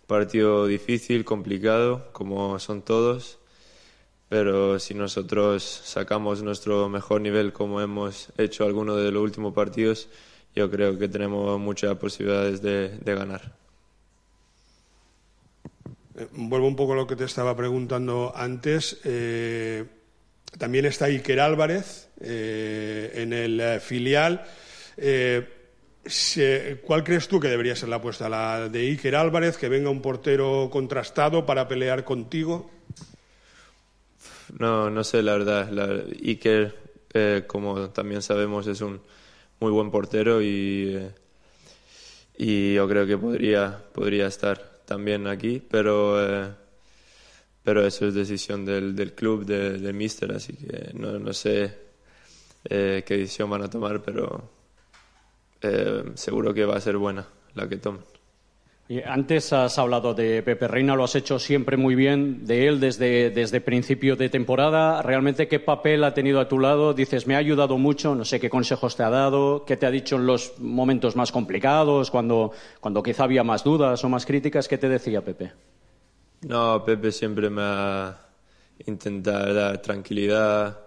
N: partido difícil, complicado, como son todos, pero si nosotros sacamos nuestro mejor nivel como hemos hecho algunos de los últimos partidos, yo creo que tenemos muchas posibilidades de, de ganar.
O: Eh, vuelvo un poco a lo que te estaba preguntando antes. Eh, también está Iker Álvarez eh, en el eh, filial. Eh, ¿Cuál crees tú que debería ser la apuesta? ¿La de Iker Álvarez, que venga un portero contrastado para pelear contigo?
N: No, no sé, la verdad. La, Iker, eh, como también sabemos, es un muy buen portero y, eh, y yo creo que podría, podría estar también aquí, pero, eh, pero eso es decisión del, del club, de, del míster, así que no, no sé eh, qué decisión van a tomar, pero Eh, seguro que va a ser buena la que tomen.
P: Y antes has hablado de Pepe Reina, lo has hecho siempre muy bien de él desde, desde principio de temporada. ¿Realmente qué papel ha tenido a tu lado? Dices, me ha ayudado mucho, no sé qué consejos te ha dado, qué te ha dicho en los momentos más complicados, cuando, cuando quizá había más dudas o más críticas. ¿Qué te decía Pepe?
N: No, Pepe siempre me ha intentado dar tranquilidad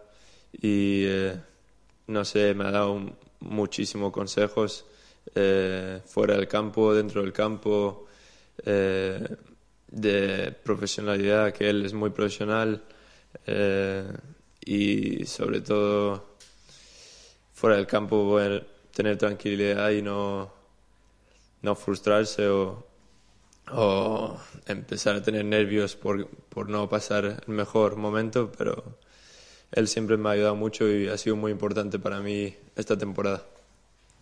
N: y eh, no sé, me ha dado un muchísimos consejos eh, fuera del campo, dentro del campo, eh, de profesionalidad, que él es muy profesional eh, y sobre todo fuera del campo poder tener tranquilidad y no, no frustrarse o, o empezar a tener nervios por, por no pasar el mejor momento, pero él siempre me ha ayudado mucho y ha sido muy importante para mí esta temporada.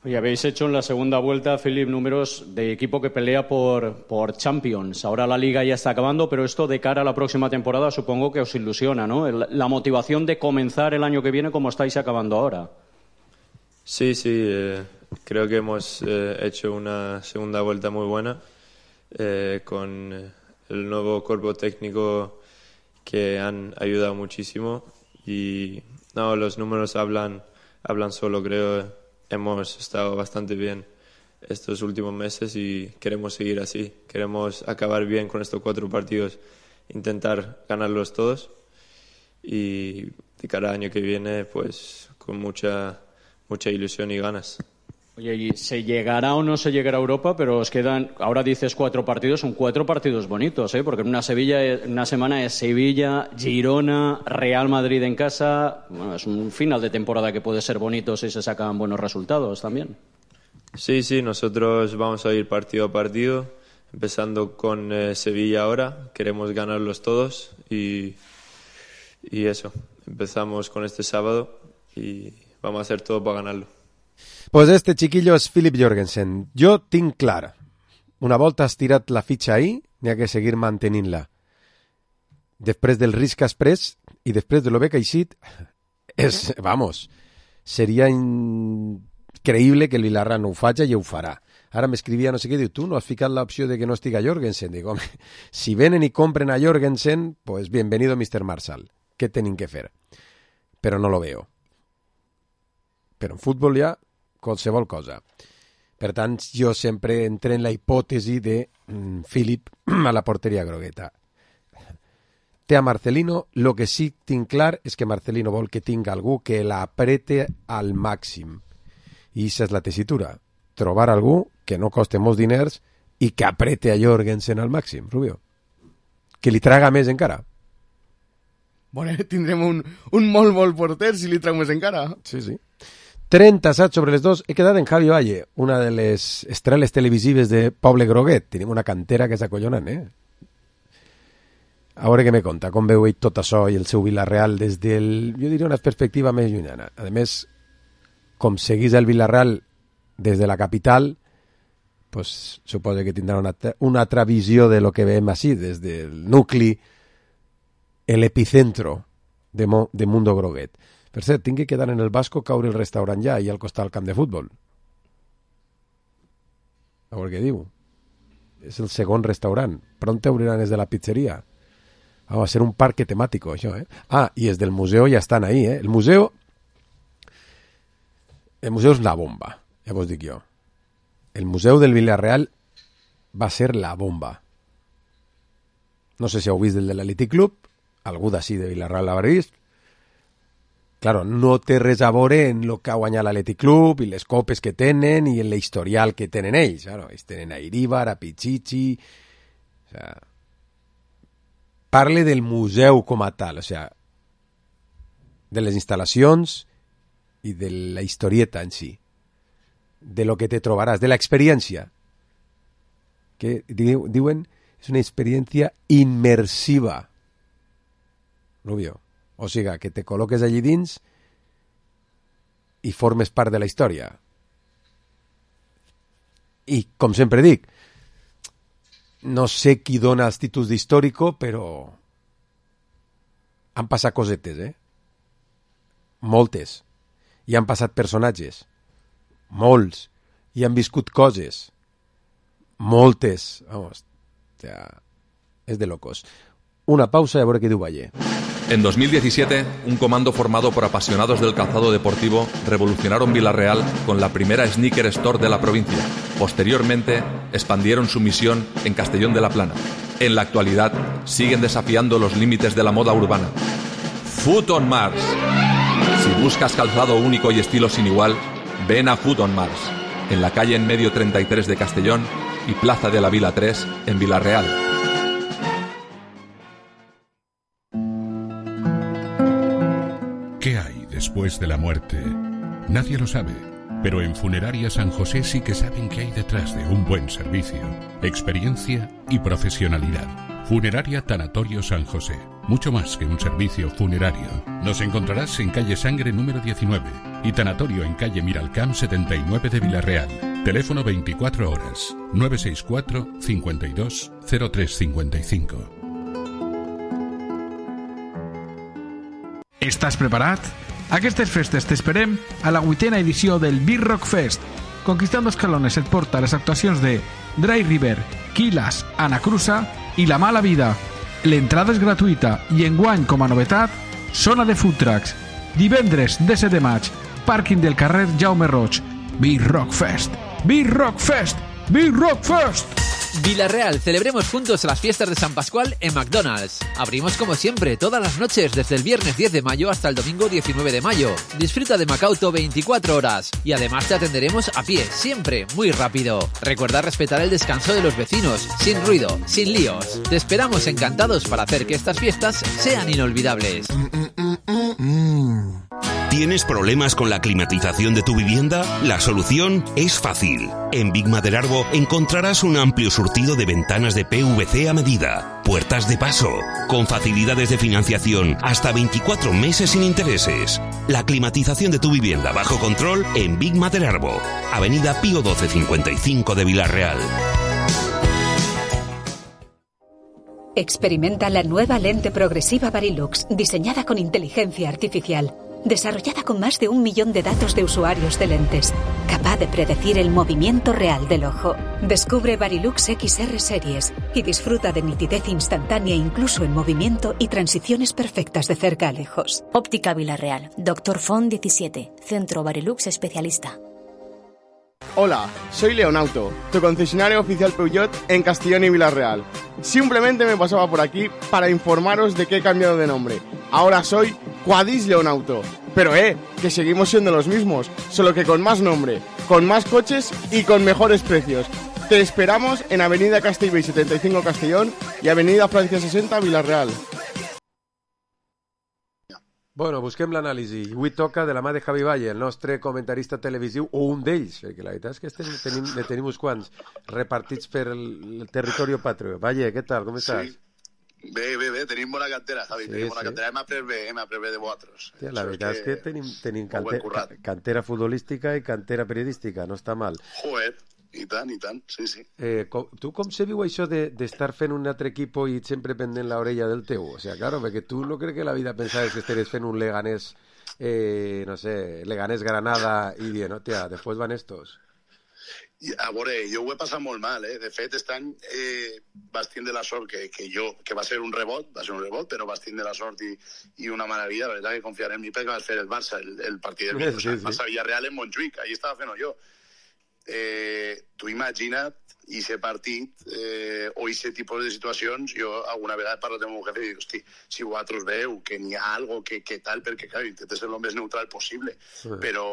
P: Oye, habéis hecho en la segunda vuelta, Philip, números de equipo que pelea por, por Champions. Ahora la Liga ya está acabando, pero esto de cara a la próxima temporada supongo que os ilusiona, ¿no? El, la motivación de comenzar el año que viene como estáis acabando ahora.
N: Sí, sí, eh, creo que hemos eh, hecho una segunda vuelta muy buena eh, con el nuevo cuerpo técnico que han ayudado muchísimo. Y no, los números hablan, hablan solo, creo. Hemos estado bastante bien estos últimos meses y queremos seguir así. Queremos acabar bien con estos cuatro partidos, intentar ganarlos todos y de cada año que viene, pues con mucha, mucha ilusión y ganas.
P: Oye, ¿y se llegará o no se llegará a Europa? Pero os quedan, ahora dices cuatro partidos, son cuatro partidos bonitos, ¿eh? Porque en una, Sevilla, en una semana es Sevilla, Girona, Real Madrid en casa. Bueno, es un final de temporada que puede ser bonito si se sacan buenos resultados también.
N: Sí, sí, nosotros vamos a ir partido a partido, empezando con eh, Sevilla ahora. Queremos ganarlos todos y, y eso, empezamos con este sábado y vamos a hacer todo para ganarlo.
D: Pues este chiquillo és Filip Jorgensen. Jo tinc clar. Una volta has tirat la fitxa ahí, n'hi ha que seguir mantenint-la. Després del risc que has pres i després de lo bé que ha eixit, és, vamos, seria increïble que el Vilarreal no ho faci i ho farà. Ara m'escrivia no sé què, diu, tu no has ficat l'opció de que no estiga Jorgensen? Dic, home, si venen i compren a Jorgensen, pues bienvenido mister Marshall. Què tenim que fer? Però no lo veo. Però en futbol ja qualsevol cosa. Per tant, jo sempre entré en la hipòtesi de mm, Philip a la porteria grogueta. Té a Marcelino, lo que sí tinc clar és que Marcelino vol que tingui algú que l'aprete al màxim. I aquesta és la tessitura. Trobar algú que no coste molts diners i que aprete a Jorgensen al màxim, Rubio. Que li traga més encara.
E: Bueno, tindrem un, un molt, molt porter si li trau més encara.
D: Sí, sí. trenta-set sobre les dos. He quedat en Javi Valle, una de les estreles televisives de Poble Groguet. Tenim una cantera que és acollonant, eh? A veure què me conta, com veu ell tot això i el seu Villarreal des del, jo diria, una perspectiva més llunyana. A més, com seguís el Villarreal des de la capital, pues, suposo que tindrà una, una altra visió de lo que veiem així, des del nucli, l'epicentro de, Mo, de Mundo Groguet. Per cert, tinc que quedar en el Vasco, caure el restaurant ja i al costat del camp de futbol. A veure què diu. És el segon restaurant. Pront obriran els de la pizzeria. Va a ser un parque temático, això, eh? Ah, i els del museu ja estan ahí, eh? El museu... El museu és la bomba, ja vos dic jo. El museu del Villarreal va ser la bomba. No sé si heu vist el de l'Athletic Club, algú d'ací de Villarreal l'haurà vist. Claro, no té res a veure en el que ha guanyat l'Athletic Club i les copes que tenen i en l'historial que tenen ells. Claro, ells tenen a Iríbar, a Pichichi... O sea... Parle del museu com a tal, o sea, de les instal·lacions i de la historieta en si, de lo que te trobaràs, de l'experiència, que diu, diuen és una experiència immersiva, Rubio. O sigui, que te col·loques allí dins i formes part de la història. I, com sempre dic, no sé qui dona els títols d'històrico, però han passat cosetes, eh? Moltes. I han passat personatges. Molts. I han viscut coses. Moltes. Vamos, ja, és de locos. Una pausa y a ver qué diu Valle.
R: En dos mil diecisiete, un comando formado por apasionados del calzado deportivo revolucionaron Villarreal con la primera sneaker store de la provincia. Posteriormente, expandieron su misión en Castellón de la Plana. En la actualidad, siguen desafiando los límites de la moda urbana. Foot on Mars. Si buscas calzado único y estilo sin igual, ven a Foot on Mars, en la calle en medio treinta y tres de Castellón y Plaza de la Vila tres en Villarreal.
S: ¿Qué hay después de la muerte? Nadie lo sabe, pero en Funeraria San José sí que saben qué hay detrás de un buen servicio, experiencia y profesionalidad. Funeraria Tanatorio San José, mucho más que un servicio funerario. Nos encontrarás en calle Sangre número diecinueve y Tanatorio en calle Miralcamp setenta y nueve de Villarreal. Teléfono veinticuatro horas, nueve seis cuatro, cincuenta y dos, cero tres cincuenta y cinco.
T: Estàs preparat? Aquestes festes t'esperem a la vuitena edició del Beer Rock Fest. Conquistando Escalones et porta les actuacions de Dry River, Quilas, Anacruza i La Mala Vida. L'entrada és gratuïta i enguany, com a novetat, zona de food trucks. Divendres, disset de maig, pàrquing del carrer Jaume Roig. Beer Rock Fest. Beer Rock Fest. Beer Rock Fest.
K: Villarreal, celebremos juntos las fiestas de San Pascual en McDonald's. Abrimos como siempre todas las noches desde el viernes diez de mayo hasta el domingo diecinueve de mayo. Disfruta de Macauto veinticuatro horas y además te atenderemos a pie, siempre muy rápido. Recuerda respetar el descanso de los vecinos, sin ruido, sin líos. Te esperamos encantados para hacer que estas fiestas sean inolvidables.
J: ¿Tienes problemas con la climatización de tu vivienda? La solución es fácil. En Big Maderarbo encontrarás un amplio surtido de ventanas de P V C a medida, puertas de paso, con facilidades de financiación hasta veinticuatro meses sin intereses. La climatización de tu vivienda bajo control en Big Maderarbo, Avenida Pío doce cincuenta y cinco de Villarreal.
U: Experimenta la nueva lente progresiva Varilux, diseñada con inteligencia artificial. Desarrollada con más de un millón de datos de usuarios de lentes, capaz de predecir el movimiento real del ojo. Descubre Varilux X R Series y disfruta de nitidez instantánea incluso en movimiento y transiciones perfectas de cerca a lejos.
V: Óptica Villarreal, Doctor Font diecisiete, Centro Varilux Especialista.
E: Hola, soy Leonauto, tu concesionario oficial Peugeot en Castellón y Villarreal. Simplemente me pasaba por aquí para informaros de que he cambiado de nombre. Ahora soy Quadis Leonauto. Pero eh, que seguimos siendo los mismos, solo que con más nombre, con más coches y con mejores precios. Te esperamos en Avenida Castellbell setenta y cinco Castellón y Avenida Francia sesenta Villarreal.
D: Bueno, busquem l'anàlisi. Avui toca de la mà de Javi Valle, el nostre comentarista televisiu, o un d'ells, perquè la veritat és que estem, tenim, ne tenim uns quants repartits per el, el territori patrio. Valle, què tal? Com estàs?
A: Sí. Bé, bé, bé, tenim bona cantera, Javi, sí, tenim bona sí. cantera. Hem après bé, hem après bé de vosaltres.
D: Tia, la veritat és que, és que tenim, tenim cante, cantera futbolística i cantera periodística, no està mal.
A: Joder. I tant, i tant, sí, sí.
D: Eh, com, tu com se viu això d'estar de, fent un altre equip i sempre pendent l'orella del teu? O sea, claro, perquè tu no crec que la vida pensaves que estaries fent un Leganés, eh, no sé, Leganés Granada i dient, hòstia, després van estos.
A: I, a veure, jo ho he passat molt mal, eh? De fet, aquest any eh, vas tindre la sort que, que jo, que va ser un rebot, va ser un rebot, però vas tindre la sort i, i una meravella, la veritat que confiaré en mi perquè vas fer el Barça, el, el partit del sí, sí, sí. Barça Villarreal en Montjuïc, allí estava fent jo. Eh, tu imagina't ese partit eh, o ese tipus de situacions. Jo alguna vegada he parlat amb el meu jefe i dic, hosti, si vosaltres veu que n'hi ha algo que, que tal, perquè clar, intentes ser el més neutral possible, sí. però,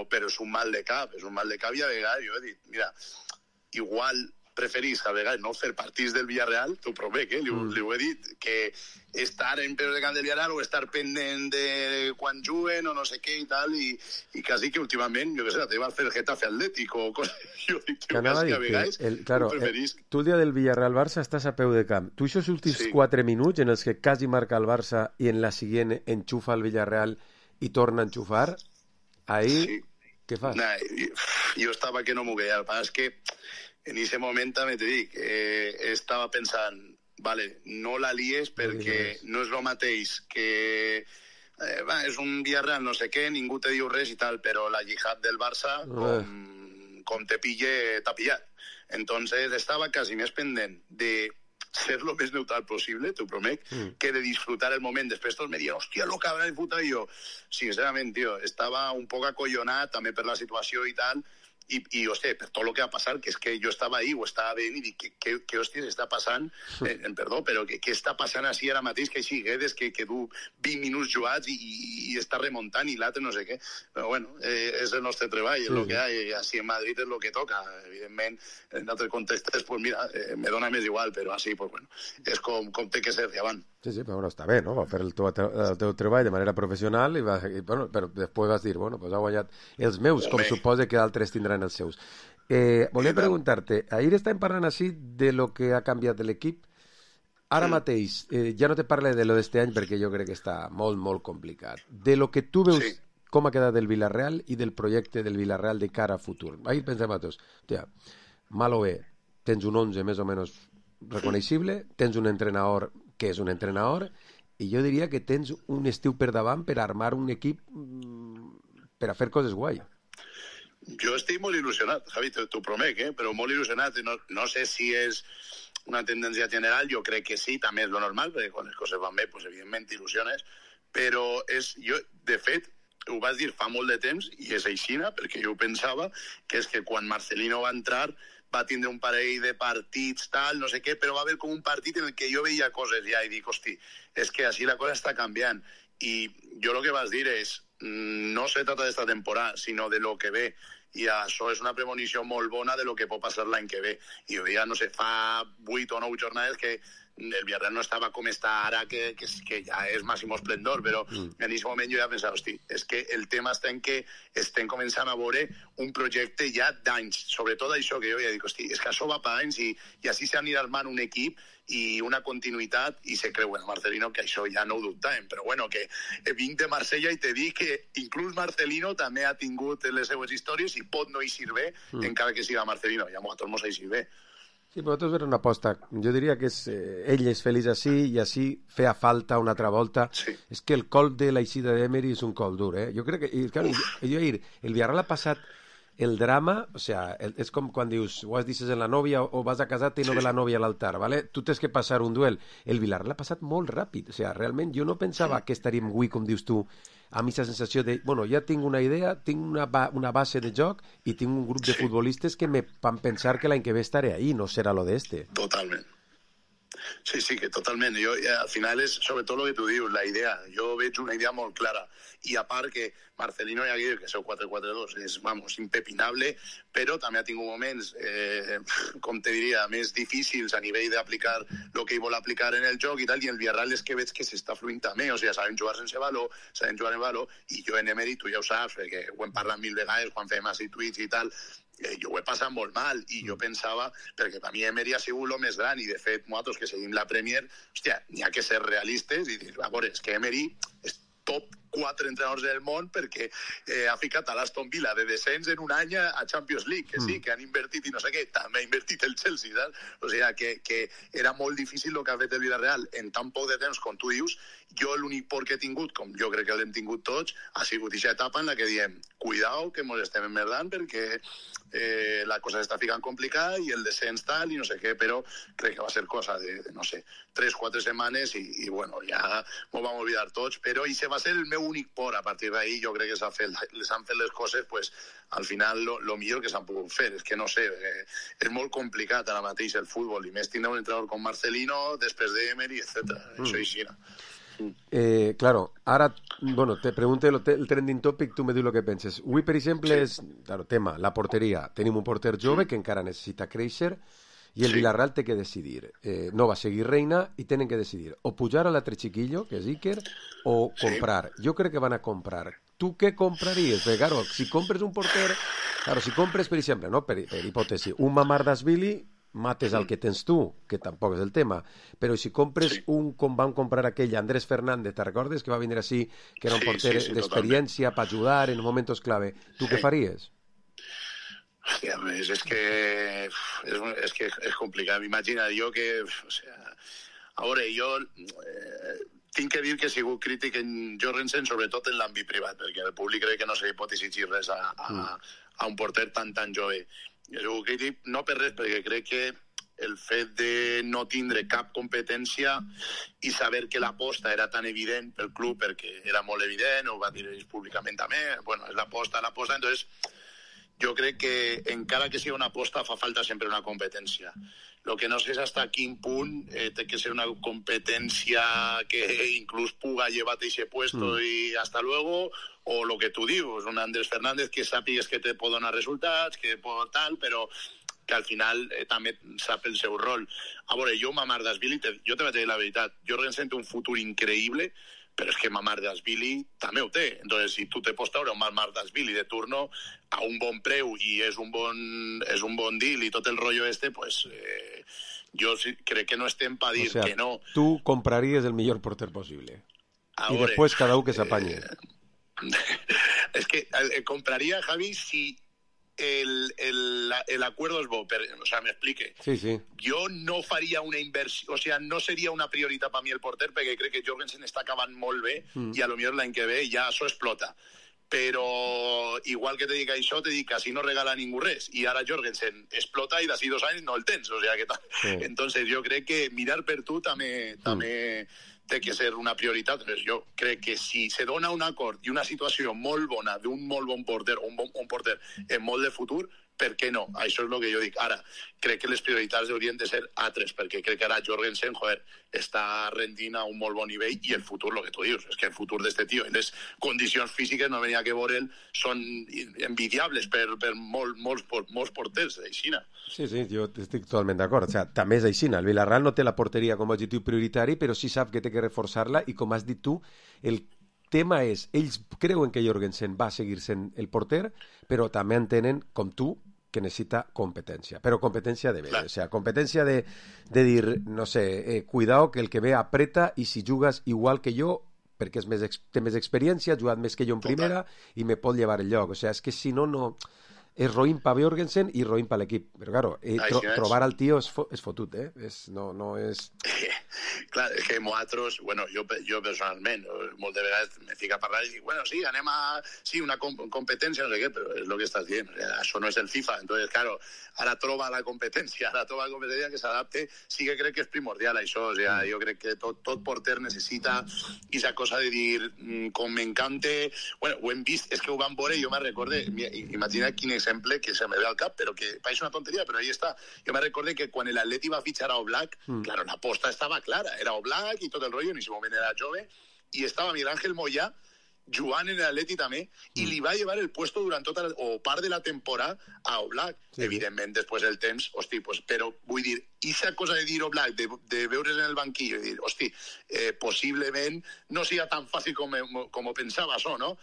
A: però és un mal de cap, és un mal de cap i a vegades jo he dit, mira, igual preferís a vegades no fer partits del Villarreal, t'ho promet, eh? Li, mm. li ho he dit, que estar en peus de camp del Villarreal o estar pendent de quan juguen o no sé què i tal, i, i quasi que últimament, jo què sé, la teva fer el Getafe Atlètic o coses, jo dic, que quasi que a vegades
D: el, claro,
A: ho preferís.
D: El, tu el dia del Villarreal-Barça estàs a peu de camp. Tu aquests últims sí. quatre minuts en els que quasi marca el Barça i en la següent enxufa el Villarreal i torna a enxufar, ahí, sí. què fas?
A: Nah, jo, jo estava que no m'ho veia, el pas és que en aquest moment també te dic, eh, estava pensant, vale, no la lies perquè no és el mateix que eh, va, és un Villarreal no sé què, ningú te diu res i tal, però la jihad del Barça, com, com te pille, t'ha pillat. Entonces estava quasi més pendent de ser lo més neutral possible, t'ho promet, mm. que de disfrutar el moment. Després tots me diuen, hòstia, lo que habrà disfrutat jo. Sincerament, tio, estava un poc acollonat també per la situació i tal, i, i hòstia, per tot el que va passar, que és que jo estava ahí, ho estava veient i dic, què, què, què hòstia està passant? Eh, perdó, però què, què està passant així ara mateix, que així Guedes, que, que du vint minuts jugats i, i, i està remuntant i l'altre no sé què. Però bueno, eh, és el nostre treball, és el sí. que hi ha, i així en Madrid és el que toca. Evidentment, en altres contextes, pues mira, eh, me dona més igual, però així, pues bueno, és com, com té que ser, ja van.
D: Sí, sí, però bueno, està bé, no? Va fer el teu, el teu treball de manera professional i, va, i bueno, però després vas dir, bueno, pues ha guanyat els meus, com suposa que altres tindran els seus. Eh, volia preguntar-te, ahir estàvem parlant així de lo que ha canviat de l'equip. Ara mateix, eh, ja no te parle de lo d'este any perquè jo crec que està molt, molt complicat. De lo que tu veus, sí. com ha quedat del Villarreal i del projecte del Villarreal de cara a futur. Ahir pensem a tots, hòstia, mal o bé, tens un onze més o menys reconeixible, tens un entrenador que és un entrenador, i jo diria que tens un estiu per davant per armar un equip per a fer coses guai.
A: Jo estic molt il·lusionat, Javi, t'ho promet, eh? Però molt il·lusionat. No, no sé si és una tendència general, jo crec que sí, també és lo normal, perquè quan les coses van bé, pues, evidentment t'il·lusiones, però és, jo, de fet, ho vas dir fa molt de temps, i és aixina, perquè jo ho pensava, que és que quan Marcelino va entrar va tindre un parell de partits, tal, no sé què, però va haver com un partit en el que jo veia coses ja i dic, hosti, és que així la cosa està canviant. I jo el que vas dir és, no se trata d'esta temporada, sinó de lo que ve. I això és una premonició molt bona de lo que pot passar l'any que ve. I jo ja, no sé, fa vuit o nou jornades que el Villarreal no estava com està ara, que, que, que ja és màxim esplendor, però mm. en aquest moment jo ja pensava, hosti, és que el tema està en que estem començant a veure un projecte ja d'anys, sobretot això que jo ja dic, hosti, és que això va per anys i, i així s'anirà armant un equip i una continuïtat, i se creu, bueno, Marcelino, que això ja no ho dubtàvem, però bueno, que vinc de Marsella i te dic que inclús Marcelino també ha tingut les seues històries i pot no eixir bé, mm. encara que siga Marcelino, ja a nosaltres mos eixir bé.
D: Sí, però tot és una aposta. Jo diria que és, eh, ell és feliç així i així feia falta una altra volta. Sí. És que el col de l'eixida d'Emery és un col dur, eh? Jo crec que, i, claro, jo, jo ahir, el Villarreal ha passat el drama, o sea, el, és com quan dius, o has dices en la nòvia o vas a casar-te i no sí, ve la nòvia a l'altar, ¿vale? Tu tens que passar un duel. El Villarreal ha passat molt ràpid, o sea, realment jo no pensava sí. que estaríem avui, com dius tu, a mi la sensació de, bueno, ja tinc una idea, tinc una, ba una base de joc i tinc un grup de sí. futbolistes que me van pensar que l'any que ve estaré ahí, no serà lo de este.
A: Totalment. Sí, sí, que totalment. Jo, al final és sobretot el que tu dius, la idea. Jo veig una idea molt clara. I a part que Marcelino ja diu que seu quatre quatre dos és, vamos, impepinable, però també ha tingut moments, eh, com te diria, més difícils a nivell d'aplicar el que ell vol aplicar en el joc i tal, i el Villarreal és que veig que s'està fluint també, o sigui, sabem jugar sense valor, sabem jugar en valor, i jo en Emery, tu ja ho saps, perquè ho hem parlat mil vegades quan fem així tuits i tal, Eh, jo ho he passat molt mal i jo pensava, perquè per mi Emery ha sigut el més gran i de fet nosaltres que seguim la Premier, hòstia, n'hi ha que ser realistes i dir, a veure, és que Emery és top quatre entrenadors del món perquè eh, ha ficat a l'Aston Villa de descens en un any a Champions League, que sí, que han invertit i no sé què, també ha invertit el Chelsea, saps? O sigui, que, que era molt difícil el que ha fet el Villarreal en tan poc de temps com tu dius. Jo l'únic por que he tingut, com jo crec que l'hem tingut tots, ha sigut aquesta etapa en la que diem, cuidao que mos estem emmerdant perquè eh, la cosa s'està ficant complicada i el descens tal i no sé què, però crec que va ser cosa de, de no sé, tres, quatre setmanes i, i bueno, ja m'ho vam oblidar tots, però i se va ser el meu únic por. A partir d'ahí jo crec que s'han fet, les han fet les coses, pues, al final lo, lo millor que s'han pogut fer. És que no sé, eh, és molt complicat ara mateix el futbol, i més tindre un entrenador com Marcelino, després de Emery, etcétera. Mm. Això així.
D: Eh, claro, ara, bueno, te pregunto el, el trending topic, tu me dius el que penses. Avui, per exemple, sí. és, claro, tema, la porteria. Tenim un porter jove sí. que encara necessita créixer i el sí. Villarreal té que decidir. Eh, no va seguir Reina i tenen que decidir o pujar a l'altre chiquillo, que és Iker, o comprar. Sí. Jo crec que van a comprar. Tu què compraries? Perquè, claro, si compres un porter... Claro, si compres, per exemple, no, per, per hipòtesi, un Mamardashvili, mates el que tens tu, que tampoc és el tema, però si compres sí. un com van comprar aquell Andrés Fernández, te recordes que va venir així, que era un sí, porter sí, sí, d'experiència per ajudar en momentos clave, tu sí. què faries?
A: Hòstia, és, és que és, és que és complicat. M'imagina jo que, o sea, a veure, jo eh, tinc que dir que he sigut crític en Jorgensen, sobretot en l'àmbit privat, perquè el públic crec que no se li pot exigir res a, a, a un porter tan tan jove. He sigut crític, no per res, perquè crec que el fet de no tindre cap competència i saber que l'aposta era tan evident pel club, perquè era molt evident, ho va dir ells públicament també, bueno, és l'aposta, l'aposta, entonces jo crec que encara que sigui una aposta fa falta sempre una competència. Lo que no sé és hasta quin punt eh, té que ser una competència que inclús puga llevar-te ese puesto mm. i hasta luego, o lo que tu dius, un Andrés Fernández que sàpigues que te pot donar resultats, que pot tal, però que al final eh, també sap el seu rol. A veure, jo Mamardashvili, jo te vaig dir la veritat, Jorgensen té un futur increïble, però és que Mamardashvili també ho té. Entonces, si tu te pots treure un Mamardashvili de turno a un bon preu i és un bon, és un bon deal i tot el rotllo este, pues eh, jo sí, crec que no estem per dir o sea, que no.
D: Tu compraries el millor porter possible. A I veure, després cada un que s'apanye.
A: Eh, és que eh, compraria, Javi, si El, el, el acuerdo es bo, pero, o sea, me explique.
D: Sí, sí.
A: Yo no faria una inversión, o sea, no seria una prioritat per mi el porter, perquè crec que Jorgensen està acabant molt bé mm. i a lo millor l'any que ve ja això explota. Però igual que te dic això, te dic que així no regala ningú res, i ara Jorgensen explota i d'ací dos anys no el tens, o sea que sí. Entonces jo crec que mirar per tu també, mm. també té que ser una prioritat. Entonces, jo crec que si se dona un acord i una situació molt bona d'un molt bon porter, un bon un porter en molt de futur, per què no? Això és el que jo dic. Ara, crec que les prioritats haurien de ser altres, perquè crec que ara Jorgensen, joder, està rendint a un molt bon nivell i el futur, el que tu dius, és que el futur d'este tio, les condicions físiques, no venia que veure'l, són envidiables per, per molt, molts, molts porters d'Aixina.
D: Sí, sí, jo estic totalment d'acord. O sea, també és Aixina. El Villarreal no té la porteria com a objectiu prioritari, però sí sap que té que reforçar-la i, com has dit tu, el tema és, ells creuen que Jorgensen va seguir sent el porter, però també entenen, com tu, que necessita competència, però competència de veure, o sea, competència de, de dir, no sé, eh, cuidao que el que ve apreta i si jugues igual que jo, perquè és més, té més experiència, ha jugat més que jo en primera i me pot llevar el lloc, o sea, és que si no, no... és roïn per Bjorgensen i roïn per l'equip. Però, claro, eh, tro
A: Així és.
D: trobar el tio és, fo és fotut, eh? És, no, no és...
A: Clar, és que nosaltres, bueno, jo, jo personalment, moltes vegades me fico a parlar i dic, bueno, sí, anem a... Sí, una com competència, no sé què, però és el que estàs dient. O sea, això no és el FIFA. Entonces, claro, ara troba la competència, ara troba la competència que s'adapte. Sí que crec que és primordial, això. O sea, jo crec que tot, tot porter necessita esa cosa de dir, com m'encante... Bueno, ho hem vist, és que ho vam veure i jo me recorde, imagina quin exemple que se me ve al cap, però que pareix una tonteria, però ahí està. Jo me recorde que quan l'Atleti va fitxar a Oblak, mm. claro, la posta estava clara, era Oblak i tot el rotllo, en ese moment era jove, i estava Miguel Ángel Moyà jugant en l'Atleti també, i li va llevar el puesto durant tota la, o part de la temporada a Oblak. Sí. Evidentment, després del temps, hosti, pues, però vull dir, esa cosa de dir Oblak, de, de veure's en el banquillo i dir, hosti, eh, possiblement no siga tan fàcil com, com pensava això, no?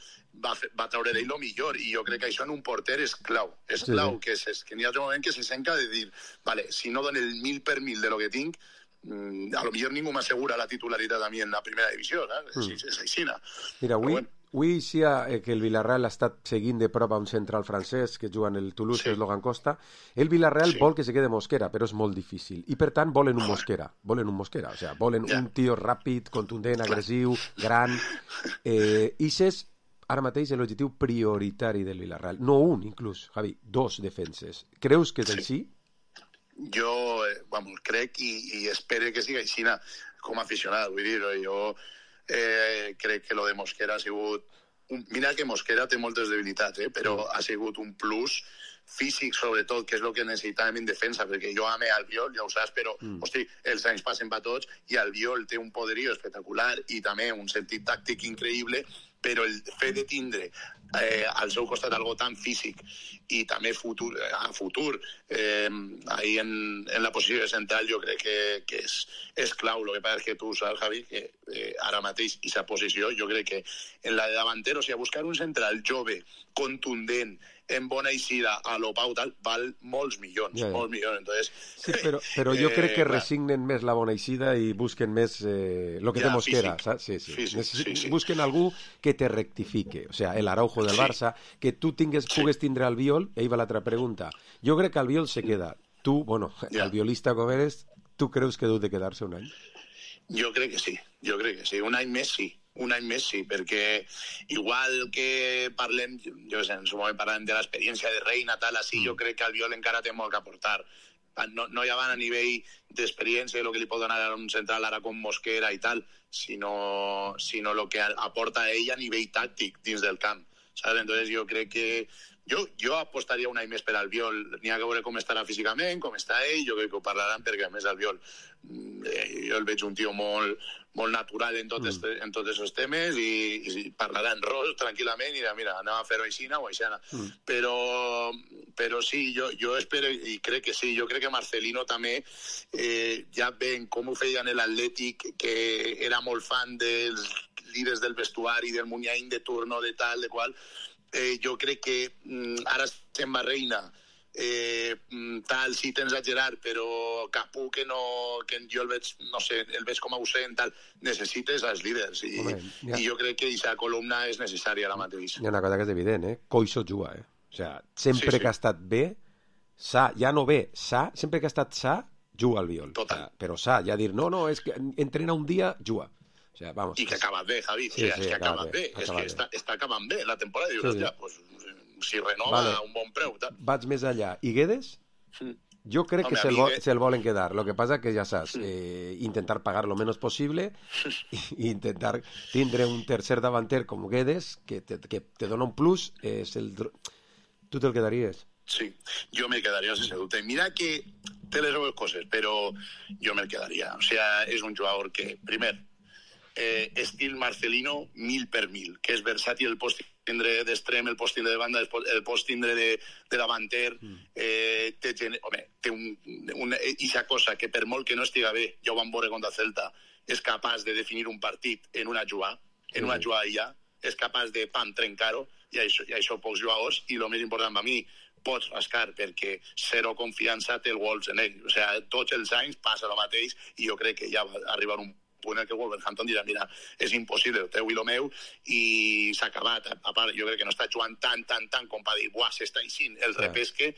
A: Va, va treure d'ell el millor, i jo crec que això en un porter és clau, és sí, clau, sí. que, és, que n'hi ha un moment que se senca de dir, vale, si no dono el mil per mil de lo que tinc, a lo millor ningú m'assegura la titularitat a mi en la primera divisió, ¿sabes? Mm. És, és aixina.
D: Mira, avui,
A: bueno.
D: avui sí que el Villarreal ha estat seguint de prop a un central francès que juga en el Toulouse, sí. que és Logan Costa. El Villarreal sí. vol que se quede Mosquera, però és molt difícil. I per tant volen un Mosquera, volen un Mosquera, o sea, volen ja. un tio ràpid, contundent, agressiu, gran. Eh, Ixes, ara mateix, és l'objectiu prioritari del Villarreal. No un, inclús, Javi, dos defenses. Creus que és sí. així?
A: Jo, eh, vamos, crec i, i espero que sigui així com a aficionat, vull dir, jo eh, crec que lo de Mosquera ha sigut... Un, mira que Mosquera té moltes debilitats, eh, però ha sigut un plus físic, sobretot, que és el que necessitàvem en defensa, perquè jo ame Albiol, ja ho saps, però, mm. hosti, els anys passen per tots, i Albiol té un poderío espectacular i també un sentit tàctic increïble, però el fet de tindre eh, al seu costat algo tan físic i també futur, a futur eh, ahí en, en la posició central jo crec que, que és, és clau. El que passa és que tu saps, Javi, que eh, ara mateix aquesta posició jo crec que en la de davanter, o sigui, buscar un central jove, contundent, en bona eixida a lo Pau tal, val molts milions, ja, ja. molts milions. Entonces,
D: sí, però, però jo eh, crec que resignen més la bona eixida i busquen més eh, lo que ja, té Mosquera, físic, saps? Sí, sí. Físic, sí, sí. Busquen algú que te rectifique, o sea, el Araujo del sí. Barça, que tu tingues, sí. pugues tindre al Viol, i ahí va l'altra pregunta. Jo crec que el Viol se queda. Tu, bueno, ja. el violista com eres, tu creus que deu de quedar-se un any?
A: Jo crec que sí, jo crec que sí. Un any més sí. Un any més sí, perquè igual que parlem, jo sé, en su moment parlem de l'experiència de Reina, tal, així, mm. jo crec que el Viol encara té molt que aportar. No, no ja van a nivell d'experiència, el que li pot donar a un central ara com Mosquera i tal, sinó, sinó el que aporta ell a nivell tàctic dins del camp. ¿Sabes? Entonces jo crec que jo, jo apostaria un any més per al Viol. N'hi ha que veure com estarà físicament, com està ell, jo crec que ho parlaran, perquè a més el Viol eh, jo el veig un tio molt, molt natural en tots mm. en tots aquests temes i, i parlarà en ros tranquil·lament i dirà, mira, anem a fer-ho aixina o aixina. Mm. Però, però sí, jo, jo espero i crec que sí, jo crec que Marcelino també eh, ja ven com ho feia en l'Atlètic, que era molt fan dels líders del vestuari, del Muniain de turno, de tal, de qual. Eh, jo crec que mm, ara estem a Reina, eh, tal, sí tens a Gerard, però Capú, que no, que jo el veig, no sé, el veig com a ausent, tal, necessites els líders, i, Home, ja. i jo crec que aquesta columna és necessària ara mateix.
D: Hi ha una cosa que és evident, eh? Coixo juga, eh? O sea, sempre sí, sí. que ha estat bé, sa, ja no bé, sa, sempre que ha estat sa, juga al Viol.
A: Total.
D: O sea, però sa, ja dir, no, no, és que entrena un dia, juga. O sea, vamos.
A: I que acabes bé, Javi, sí, o sea, sí, és que acabes bé, bé. és que està, està acabant bé la temporada, i dius, sí, sí. ja, pues, si renova vale. un bon preu. Tal.
D: Vaig més allà. I Guedes? Mm. Jo crec Home, que se'l vol, se volen quedar. Lo que pasa que ja saps, eh, intentar pagar lo menos posible i intentar tindre un tercer davanter com Guedes, que te, que te dona un plus, és el... Tu te'l quedaries?
A: Sí, jo me quedaria sense dubte. Mira que té les dues coses, però jo me quedaria. O sea, és un jugador que, primer, Eh, estil Marcelino mil per mil, que és versàtil, el pots tindre d'extrem, el pots tindre de banda, el pots tindre de, de davanter, mm. eh, té, home, té un, una, ixa cosa que per molt que no estiga bé, ja ho vam veure contra Celta, és capaç de definir un partit en una jugada, en una jugada ja, és capaç de pam, trencar-ho, i això, i això pocs jugadors, i el més important per mi, pots rascar, perquè zero confiança té el Wolves en ell. O sigui, tots els anys passa el mateix, i jo crec que ja va arribar un punt en què Wolverhampton dirà, mira, és impossible, el teu i el meu, i s'ha acabat. A part, jo crec que no està jugant tant, tant, tant com per dir, buah, s'està així, el repesque,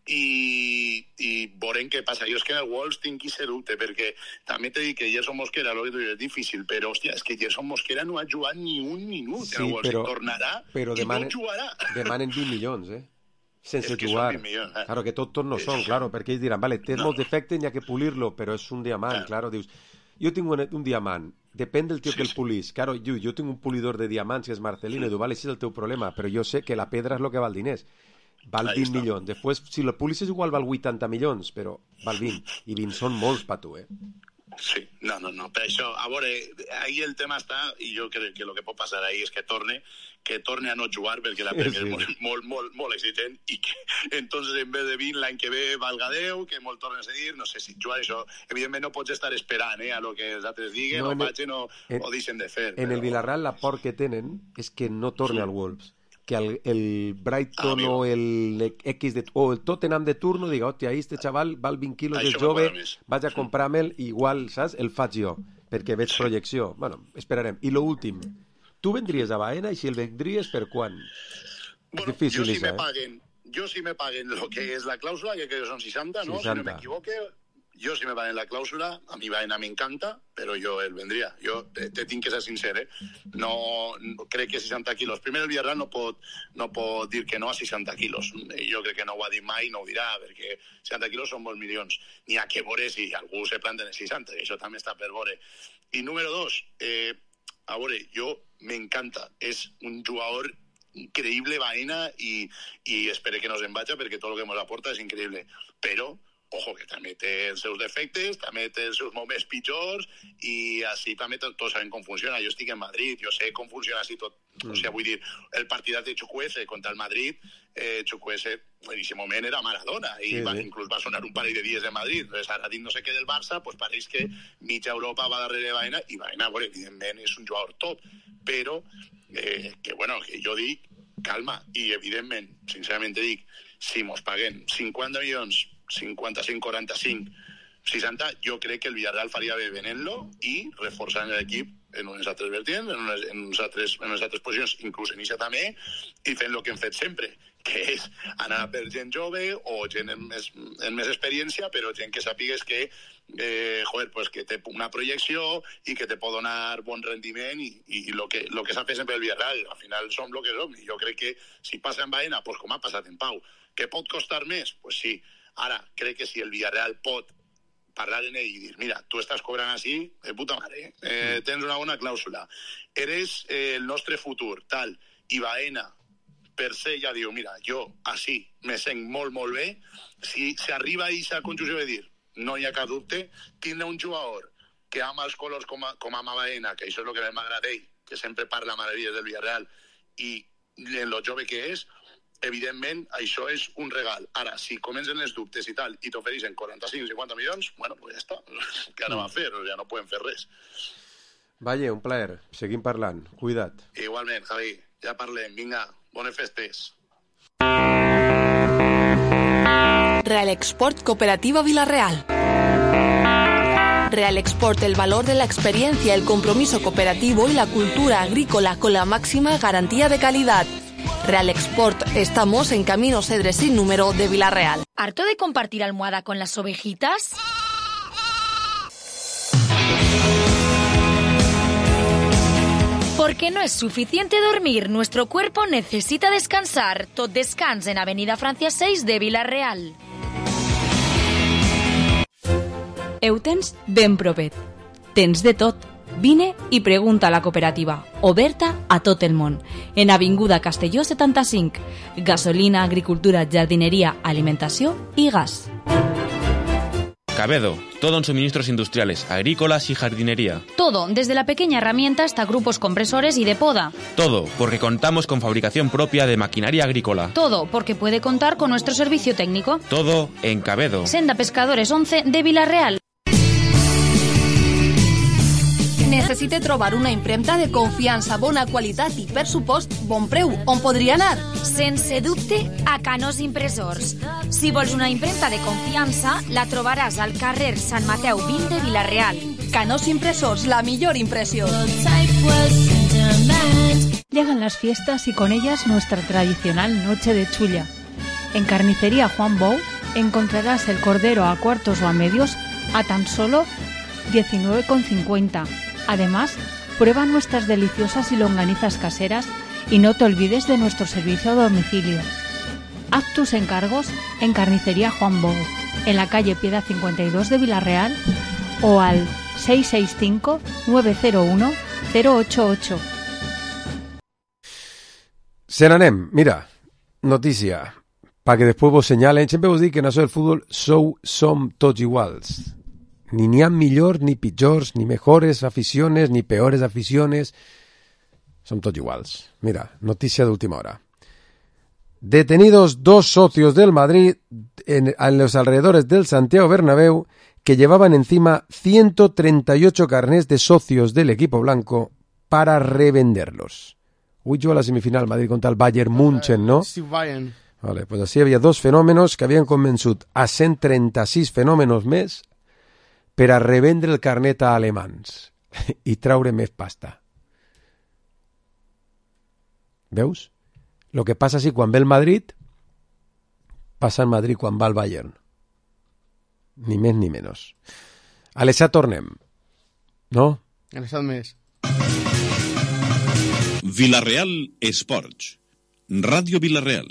A: i, i veurem què passa. Jo és que en el Wolves tinc que ser dubte, perquè també t'he dit que Gerson Mosquera, lo que tu dius, és difícil, però, hòstia, és que Gerson Mosquera no ha jugat ni un minut
D: sí,
A: en el Wolves,
D: però,
A: tornarà
D: però
A: i
D: demanen,
A: no jugarà.
D: Demanen vint milions, eh? Sense
A: és que
D: jugar.
A: Són vint milions, eh?
D: Claro, que tot, tot no són, claro, perquè ells diran, vale, té no. molts defectes, n'hi ha que pulir-lo, però és un diamant, eh. claro, dius, jo tinc un, un diamant, depèn del tio sí, que el pulís, claro, jo, jo tinc un pulidor de diamants que és Marcelino, sí. i diu, vale, això és el teu problema, però jo sé que la pedra és el que val diners. Val vint milions. Després, si la pulisses igual val vuitanta milions, però val vint. I vint són molts per tu, eh?
A: Sí, no, no, no. Per això, a veure, ahí el tema està, i jo crec que el que pot passar ahí és que torne, que torne a no jugar, perquè la Premier sí. és molt, molt, molt, molt excitant, i que, entonces, en vez de vint, l'any que ve valga deu, que molt tornen a seguir, no sé si jugar això, evidentment no pots estar esperant, eh, a lo que els altres diguen, no, o vagin o, en, o deixen de fer.
D: En però... el Villarreal la por que tenen és que no torne sí. al Wolves. Que el, el Brighton ah, o el X de, o el Tottenham de turno diga, hòstia, este xaval val vint quilos de jove, vaig a comprar-me'l, igual, saps? El faig jo, perquè veig sí. projecció. Bueno, esperarem. I lo últim, tu vendries a Baena i si el vendries per quan?
A: Bueno,
D: és difícil,
A: jo si
D: Isa,
A: me paguen, eh? jo si me paguen lo que és la clàusula, que crec que són seixanta, ¿no?
D: seixanta.
A: Si no m'equivoque, jo si me paguen la clàusula, a mi Baena m'encanta, però jo el vendria. Jo te, te tinc que ser sincer, eh? No, no crec que seixanta quilos. Primer el Villarreal no pot, no pot dir que no a seixanta quilos. Jo crec que no ho ha dit mai, no ho dirà, perquè seixanta quilos són molts milions. N'hi ha que veure si algú se planta en seixanta, que això també està per veure. I número dos, eh, a veure, jo m'encanta. És un jugador increïble, Baena, i, i espero que no se'n vagi, perquè tot el que ens aporta és increïble. Però ojo, que també té els seus defectes, també té els seus moments pitjors, i així també tots sabem com funciona. Jo estic en Madrid, jo sé com funciona així tot. Mm. O sigui, vull dir, el partidat de Chukwueze contra el Madrid, eh, Chukwueze en aquest moment era Maradona, i sí, va, sí. inclús va sonar un parell de dies en Madrid. Entonces, ara dit no sé què del Barça, pues pareix que mitja Europa va darrere Baena, i Baena, bueno, evidentment, és un jugador top, però eh, que, bueno, que jo dic, calma, i evidentment, sincerament dic, si mos paguen cinquanta milions, cinquanta-cinc, quaranta-cinc, seixanta, jo crec que el Villarreal faria bé venent-lo i reforçant l'equip en unes altres vertients, en unes, en unes, altres, en unes altres posicions, inclús en Ixa també, i fent el que hem fet sempre, que és anar per gent jove o gent amb més, amb més experiència, però gent que sàpigues que, eh, joder, pues que té una projecció i que te pot donar bon rendiment, i, i lo que, lo que s'ha fet sempre el Villarreal, al final som lo que som, i jo crec que si passa en Baena, pues com ha passat en Pau, que pot costar més, pues sí. Ara, crec que si el Villarreal pot parlar en ell i dir, mira, tu estàs cobrant així, de puta mare, eh, tens una bona clàusula, eres eh, el nostre futur, tal, i Baena, per se, ja diu, mira, jo així me sent molt, molt bé, si s'arriba a aquesta conjunció de dir, no hi ha cap dubte, tindre un jugador que ama els colors com, a, com ama Baena, que això és el que m'agrada ell, que sempre parla meravilles del Villarreal, i en lo jove que és, evidentment, això és un regal. Ara, si comencen els dubtes i tal, i t'ofereixen quaranta-cinc o cinquanta milions, bueno, pues ja està. Què anem a fer? Ja no podem fer res.
D: Valle, un plaer. Seguim parlant. Cuida't.
A: Igualment, Javi. Ja parlem. Vinga, bones festes.
G: Real Export Cooperativa Villarreal. Real Export, el valor de la experiencia, el compromiso cooperativo y la cultura agrícola con la máxima garantía de calidad. Real Export, estamos en Camino Cedres sin número de Villarreal.
H: ¿Harto de compartir almohada con las ovejitas? Porque no es suficiente dormir, nuestro cuerpo necesita descansar. Tot Descans en Avenida Francia seis de Villarreal.
B: Ho tens ben propet. Tens de tot. Vine i pregunta a la cooperativa, oberta a tot el món, en Avinguda Castelló setanta-cinc. Gasolina, agricultura, jardinería, alimentació i gas.
V: Cabedo, todo en suministros industriales, agrícolas y jardinería.
H: Todo, desde la pequeña herramienta hasta grupos compresores y de poda.
V: Todo, porque contamos con fabricación propia de maquinaria agrícola.
H: Todo, porque puede contar con nuestro servicio técnico.
V: Todo en Cabedo.
H: Senda Pescadores once de Villarreal.
G: Necessite trobar una impremta de confiança, bona qualitat i, per supost, bon preu. On podria anar?
H: Sense dubte, a Canós Impressors. Si vols una impremta de confiança, la trobaràs al carrer Sant Mateu vint de Villarreal.
G: Canós Impresors, la millor impresión.
L: Llegan las fiestas y con ellas nuestra tradicional noche de chulla. En Carnicería Juan Bou encontrarás el cordero a cuartos o a medios a tan solo diecinueve con cincuenta. Además, prueba nuestras deliciosas y longanizas caseras y no te olvides de nuestro servicio a domicilio. Haz tus encargos en Carnicería Juan Bou, en la calle Piedad cincuenta y dos de Villarreal o al seis seis cinco, nueve cero uno, cero ocho ocho.
D: Se n'anem, mira, notícia, perquè després vos senyalen, sempre vos dic que en això del futbol sou, som tots iguals. Ni n'hi ha millors, ni pitjors, ni mejores aficiones, ni peores aficiones. Som tots iguals. Mira, notícia d'última hora. Detenidos dos socios del Madrid en, en los alrededores del Santiago Bernabéu que llevaban encima ciento treinta y ocho carnés de socios del equipo blanco para revenderlos. Uy, yo a la semifinal Madrid contra el Bayern München, ¿no?
E: Sí, Bayern.
D: Vale, pues así había dos fenòmenos que havien convençut a cent trenta-sis fenòmenos més per a revendre el carnet a alemans i traure més pasta. Veus? Lo que passa si quan ve el Madrid passa el Madrid quan va al Bayern. Ni més ni menys. A l'esat tornem. No?
E: A l'esat més.
C: Villarreal Esports. Ràdio Villarreal.